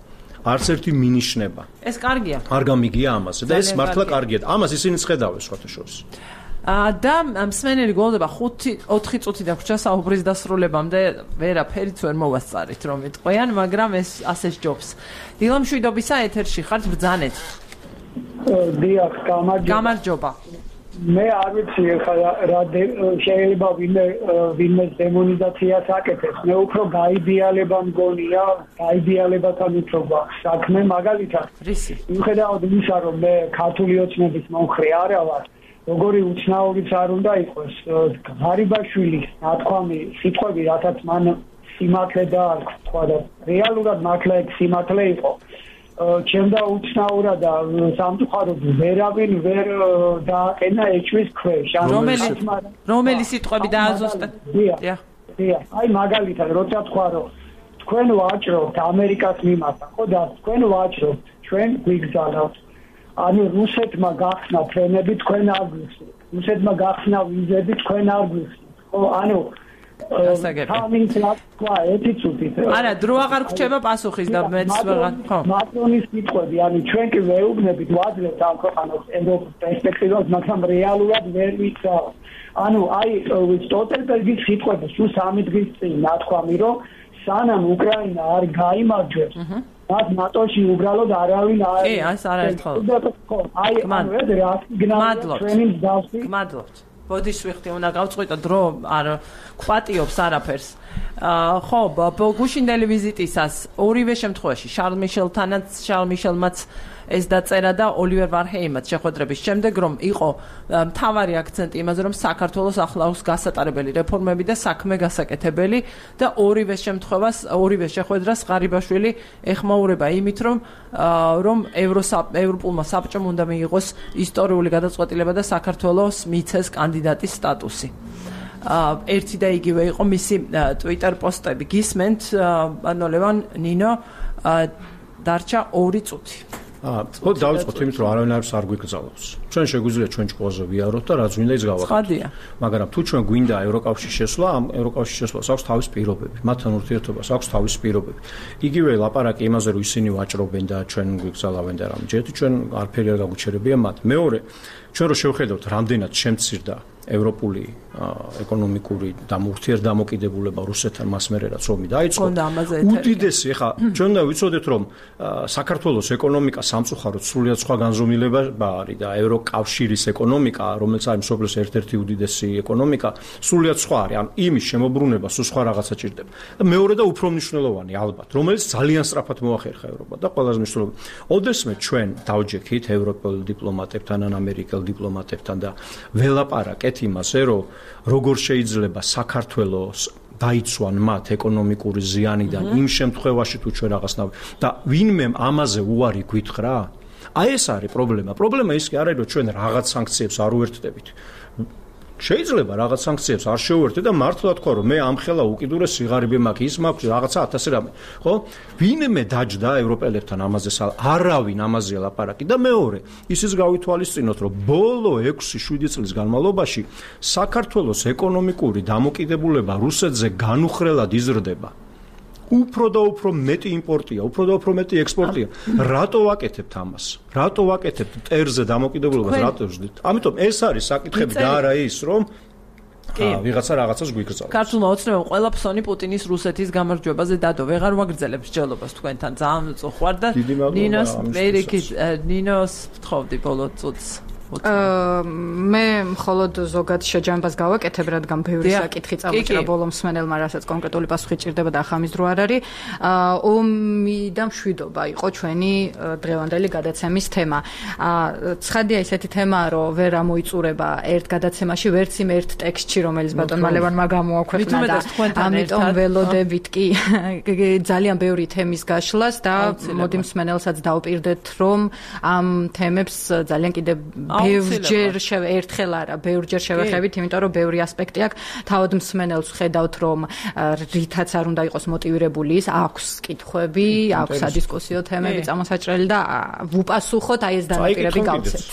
არც ერთი მინიშნება ეს კარგია არ გამიგია ამაზე და ეს მართლა კარგია ამას ისინი ხედავენ სხვათა შორის და მსმენელი გოლდება ხუთი ოთხი წუთი დაგვრჩა საუბრის დასრულებამდე ვერაფერიც ვერ მოვასწარით რომ იტყვიან მაგრამ ეს ასე ჯობს დილა მშვიდობისა ეთერში ხართ ბრძანეთ დიახ გამარჯობა გამარჯობა მე არ ვიცი ხა რა შეიძლება ვინმე ვინმე დემონიზაციას აკეთებს მე უფრო გაიდეალება მგონია გაიდეალებათან უფრო გვაქვს საქმე მაგალითად რისი მიუხედავად იმისა რომ მე ქართული ოცნების მომხრე არა ვარ როგორი უცნაურიც არ უნდა იყოს ღარიბაშვილის ნათქვამი სიტყვები რასაც მან სიმართლე დაარქვა თქვა და რეალურად მართლა ეგ სიმართლე იყო ჩემდა უცნაურა და სამწუხაროდ ვერავინ ვერ დააყენა ეჭვის ქვეშ რომელი რომელი სიტყვები დააზუსტეთ დიახ დიახ აი მაგალითად როცა თქვა რომ თქვენ ვაჭრობთ ამერიკას მიმართ ხო და თქვენ ვაჭრობთ ჩვენ გვიგზავნოთ ანუ რუსეთმა გახსნა ფრენები თქვენ არ გვიხსნით რუსეთმა გახსნა ვიზები თქვენ არ გვიხსნით ხო ანუ არა დრო აღარ გრჩება პასუხის და მეც ვეღარ ხო მაკრონის სიტყვები ანუ ჩვენ კი ვეუბნებით ვაძლევთ ამ ქვეყანას ევროპის პერსპექტივას მაგრამ რეალურად ვერ ვიცავ ანუ აი სტოლტენბერგის სიტყვები სულ სამი დღის წინ ნათქვამი რომ სანამ უკრაინა არ გაიმარჯვებს მათ ნატოში უბრალოდ არავინ არ კი ეს არაერთხელ აი ანუ ეს რა სიგნალია ჩვენი მსგავსი გმადლობთ ბოდიში ვიხდი უნდა გავწყვიტო დრო არ კვატიობს არაფერს ხო გუშინდელი ვიზიტისას ორივე შემთხვევაში შარლ მიშელთანაც შარლ მიშელმაც ეს დაწერა და ოლივერ ვარჰეიმაც შეხვედრების შემდეგ რომ იყო მთავარი აქცენტი იმაზე რომ საქართველოს ახლავს გასატარებელი რეფორმები და საქმე გასაკეთებელი და ორივე შემთხვევას ორივე შეხვედრას ღარიბაშვილი ეხმაურება იმით რომ რომ ევროპულმა საბჭომ უნდა მიიღოს ისტორიული გადაწყვეტილება და საქართველოს მიცეს კანდიდატის სტატუსი ერთი და იგივე იყო მისი ტვიტერ პოსტები გისმენთ ანუ ლევან ნინო დარჩა ორი წუთი აა, ხო დავიწყოთ იმით, რომ არავინ არ გვიგზავნოს. ჩვენ შეგვიძლია ჩვენ ჭკუაზე ვიაროთ და რაც გვინდა ის გავაკეთოთ. მაგრამ თუ ჩვენ გვინდა ევროკავშირის შესვლა, ამ ევროკავშირის შესვლას აქვს თავის პირობები. მათთან ურთიერთობას აქვს თავის პირობები. იგივე ლაპარაკი იმაზე, რომ ისინი ვაჭრობენ და ჩვენ გვიგზავნავენ და რამე. ჯერ ჩვენ არაფერი არ გაგვიჩერებია მათ. მეორე, ჩვენ რო შევხედავთ, რამდენად შემცირდა ევროპული ეკონომიკური და ურთიერთდამოკიდებულება რუსეთთან მას მერე რაც ომი დაიწყო. უდიდესი, ეხა ჩვენ უნდა ვიცოდეთ, რომ საქართველოს ეკონომიკა სამწუხაროდ სრულიად სხვა განზომილება არის და ევროკავშირის ეკონომიკა, რომელიც არის მსოფლიოს ერთ-ერთი უდიდესი ეკონომიკა, სრულიად სხვა არის. ან იმის შემოbrunება სულ სხვა რაღაცა ჭირდება. და მეორე და უფრო მნიშვნელოვანი ალბათ, რომელიც ძალიან სწრაფად მოახერხა ევროპა და ყველაზე მნიშვნელოვანი. ოდესმე ჩვენ დავჯექით ევროპელ დიპლომატებთან ან ამერიკელ დიპლომატებთან და ველაპარაკეთ იმაზე, რომ როგორ შეიძლება საქართველოს დაიცვან მათ ეკონომიკური ზიანიდან იმ შემთხვევაში თუ ჩვენ რაღაცნაირ და ვინმე ამაზე უარი გვითხრა? აი ეს არის პრობლემა. პრობლემა ის კი არ არის, რომ ჩვენ რაღაც სანქციებს არ უერთდებით. შეიძლება რაღაც სანქციებს არ შეუერთდეთ და მართლა თქვა, რომ მე ამ ხელა უკიდურეს სიღარიბე მაქვს, ის მაქვს რაღაცა ათასი რამე. ხო? ვინმე დაჯდა ევროპელებთან ამაზე, არავინ ამაზე ლაპარაკი და მეორე, ისიც გავითვალისწინოთ, რომ ბოლო ექვსი შვიდი წლის განმავლობაში საქართველოს ეკონომიკური დამოკიდებულება რუსეთზე განუხრელად იზრდება. უფრო და უფრო მეტი იმპორტია, უფრო და უფრო მეტი ექსპორტია. რატო ვაკეთებთ ამას? რატო ვაკეთებთ ტერზე დამოკიდებულებას? რატო ვждით? ამიტომ ეს არის საკითხები და არა ის, რომ ვიღაცა რაღაცას გვიგრძავს. ქართულმა ოცნებამ ყველა ფსონი პუტინის რუსეთის გამარჯვებაზე დადო. ვეღარ ვაგრძელებ მსჯელობას თქვენთან. ძალიან უწუხვარ და ნინოს მერიქის ნინოს ვთხოვდი ბოლო წუთს. მე მხოლოდ ზოგად შეჯამებას გავაკეთებ, რადგან ბევრი საკითხი წამოჭრა ბოლო მსმენელმა, რასაც კონკრეტული პასუხი ჭირდება და ახამის დრო არ არის. ომი და მშვიდობა იყო ჩვენი დღევანდელი გადაცემის თემა. ცხადია ისეთი თემაა, რომ ვერ ამოიწურება ერთ გადაცემაში, ვერც იმ ერთ ტექსტში, რომელიც ბატონმა ლევანმა გამოაქვეყნა და ამიტომ ველოდებით კი ძალიან ბევრი თემის გაშლას და მოდი მსმენელსაც დავპირდეთ, რომ ამ თემებს ძალიან კიდე ბევრჯერ ერთხელ არა, ბევრჯერ შევეხებით, იმიტომ რომ ბევრი ასპექტი აქვს. თავად მსმენელს ხედავთ, რომ რითაც არ უნდა იყოს მოტივირებული ის, აქვს კითხვები, აქვს სადისკუსიო თემები წამოსაჭრელი და ვუპასუხოთ, აი ეს დანაპირები გავცეთ.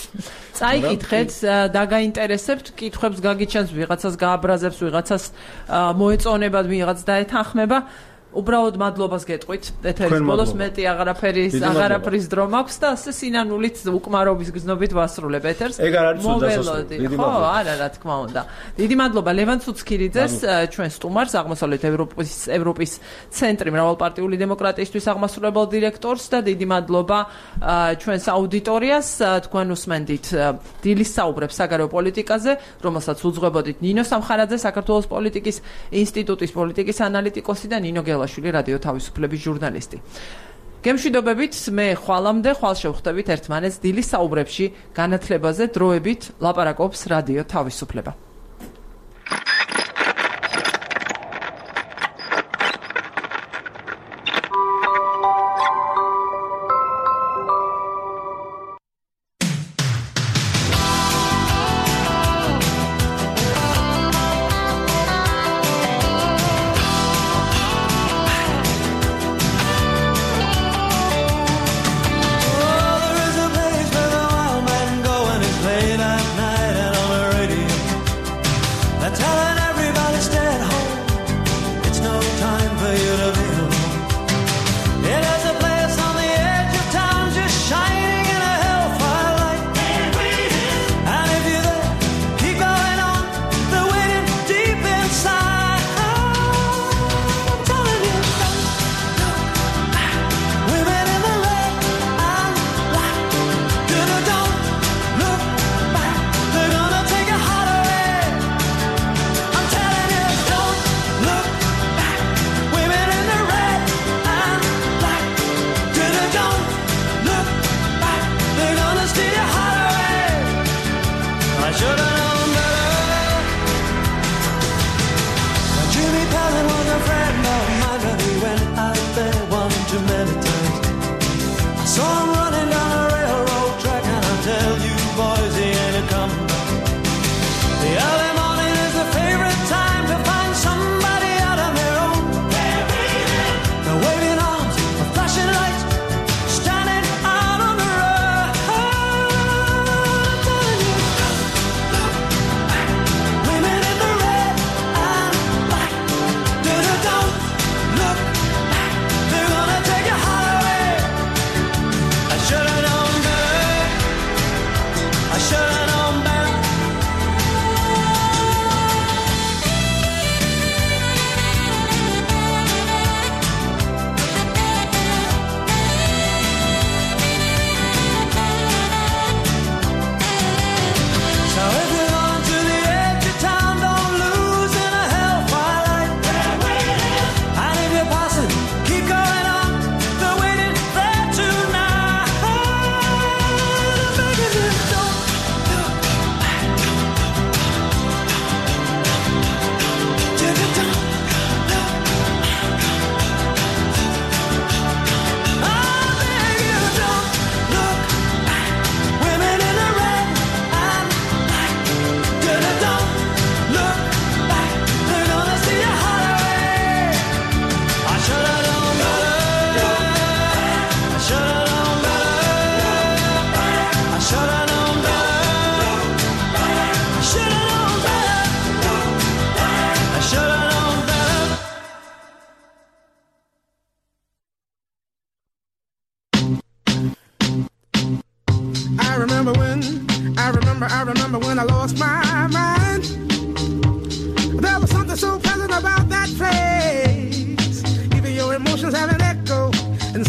წაიკითხეთ, დაგაინტერესებთ, კითხვებს გაგიჩენს, ვიღაცას გააბრაზებს, ვიღაცას მოეწონებათ, ვიღაც დაეთანხმება. უბრალოდ მადლობას გეტყვით. ეთერის ბოლოს მეტი აღარაფერის აღარაფრის დრო მაქვს და ასე სინანულით უკმარობის გზნობით ვასრულებ ეთერს. მოველოდი. ხო, არა, რა თქმა უნდა. დიდი მადლობა ლევან ცუცქირიძეს, ჩვენ სტუმარს, აღმოსავლეთ ევროპის ევროპის ცენტრი მრავალპარტიული დემოკრატიისთვის აღმასრულებელ დირექტორს და დიდი მადლობა ჩვენს აუდიტორიას. თქვენ უსმენდით დილის საუბრებს საგარეო პოლიტიკაზე, რომელსაც უძღვებოდით ნინო სამხარაძე, საქართველოს პოლიტიკის ინსტიტუტის პოლიტიკის ანალიტიკოსი და ნინო შვილი რადიო თავისუფლების ჟურნალისტი. გემშვიდობებით, მე ხვალამდე ხვალ შევხვდებით ერთმანეთს დილის საუბრებში განათლებაზე დროებით ლაპარაკობს რადიო თავისუფლება.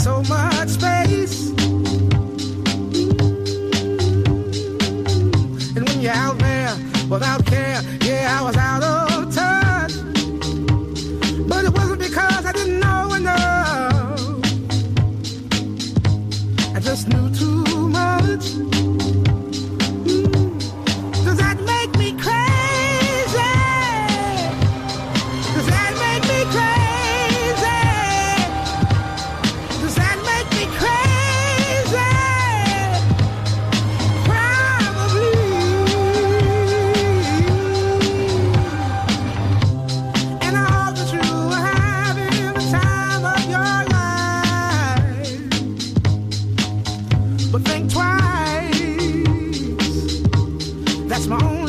So much space. without care. Yeah, I was out of touch, but it wasn't because I didn't know enough. I just knew too much. Mm. Does that make me crazy? Does that make me crazy? Does that make me crazy? Probably. And I hope that you are having the time of your life. But think twice. That's my only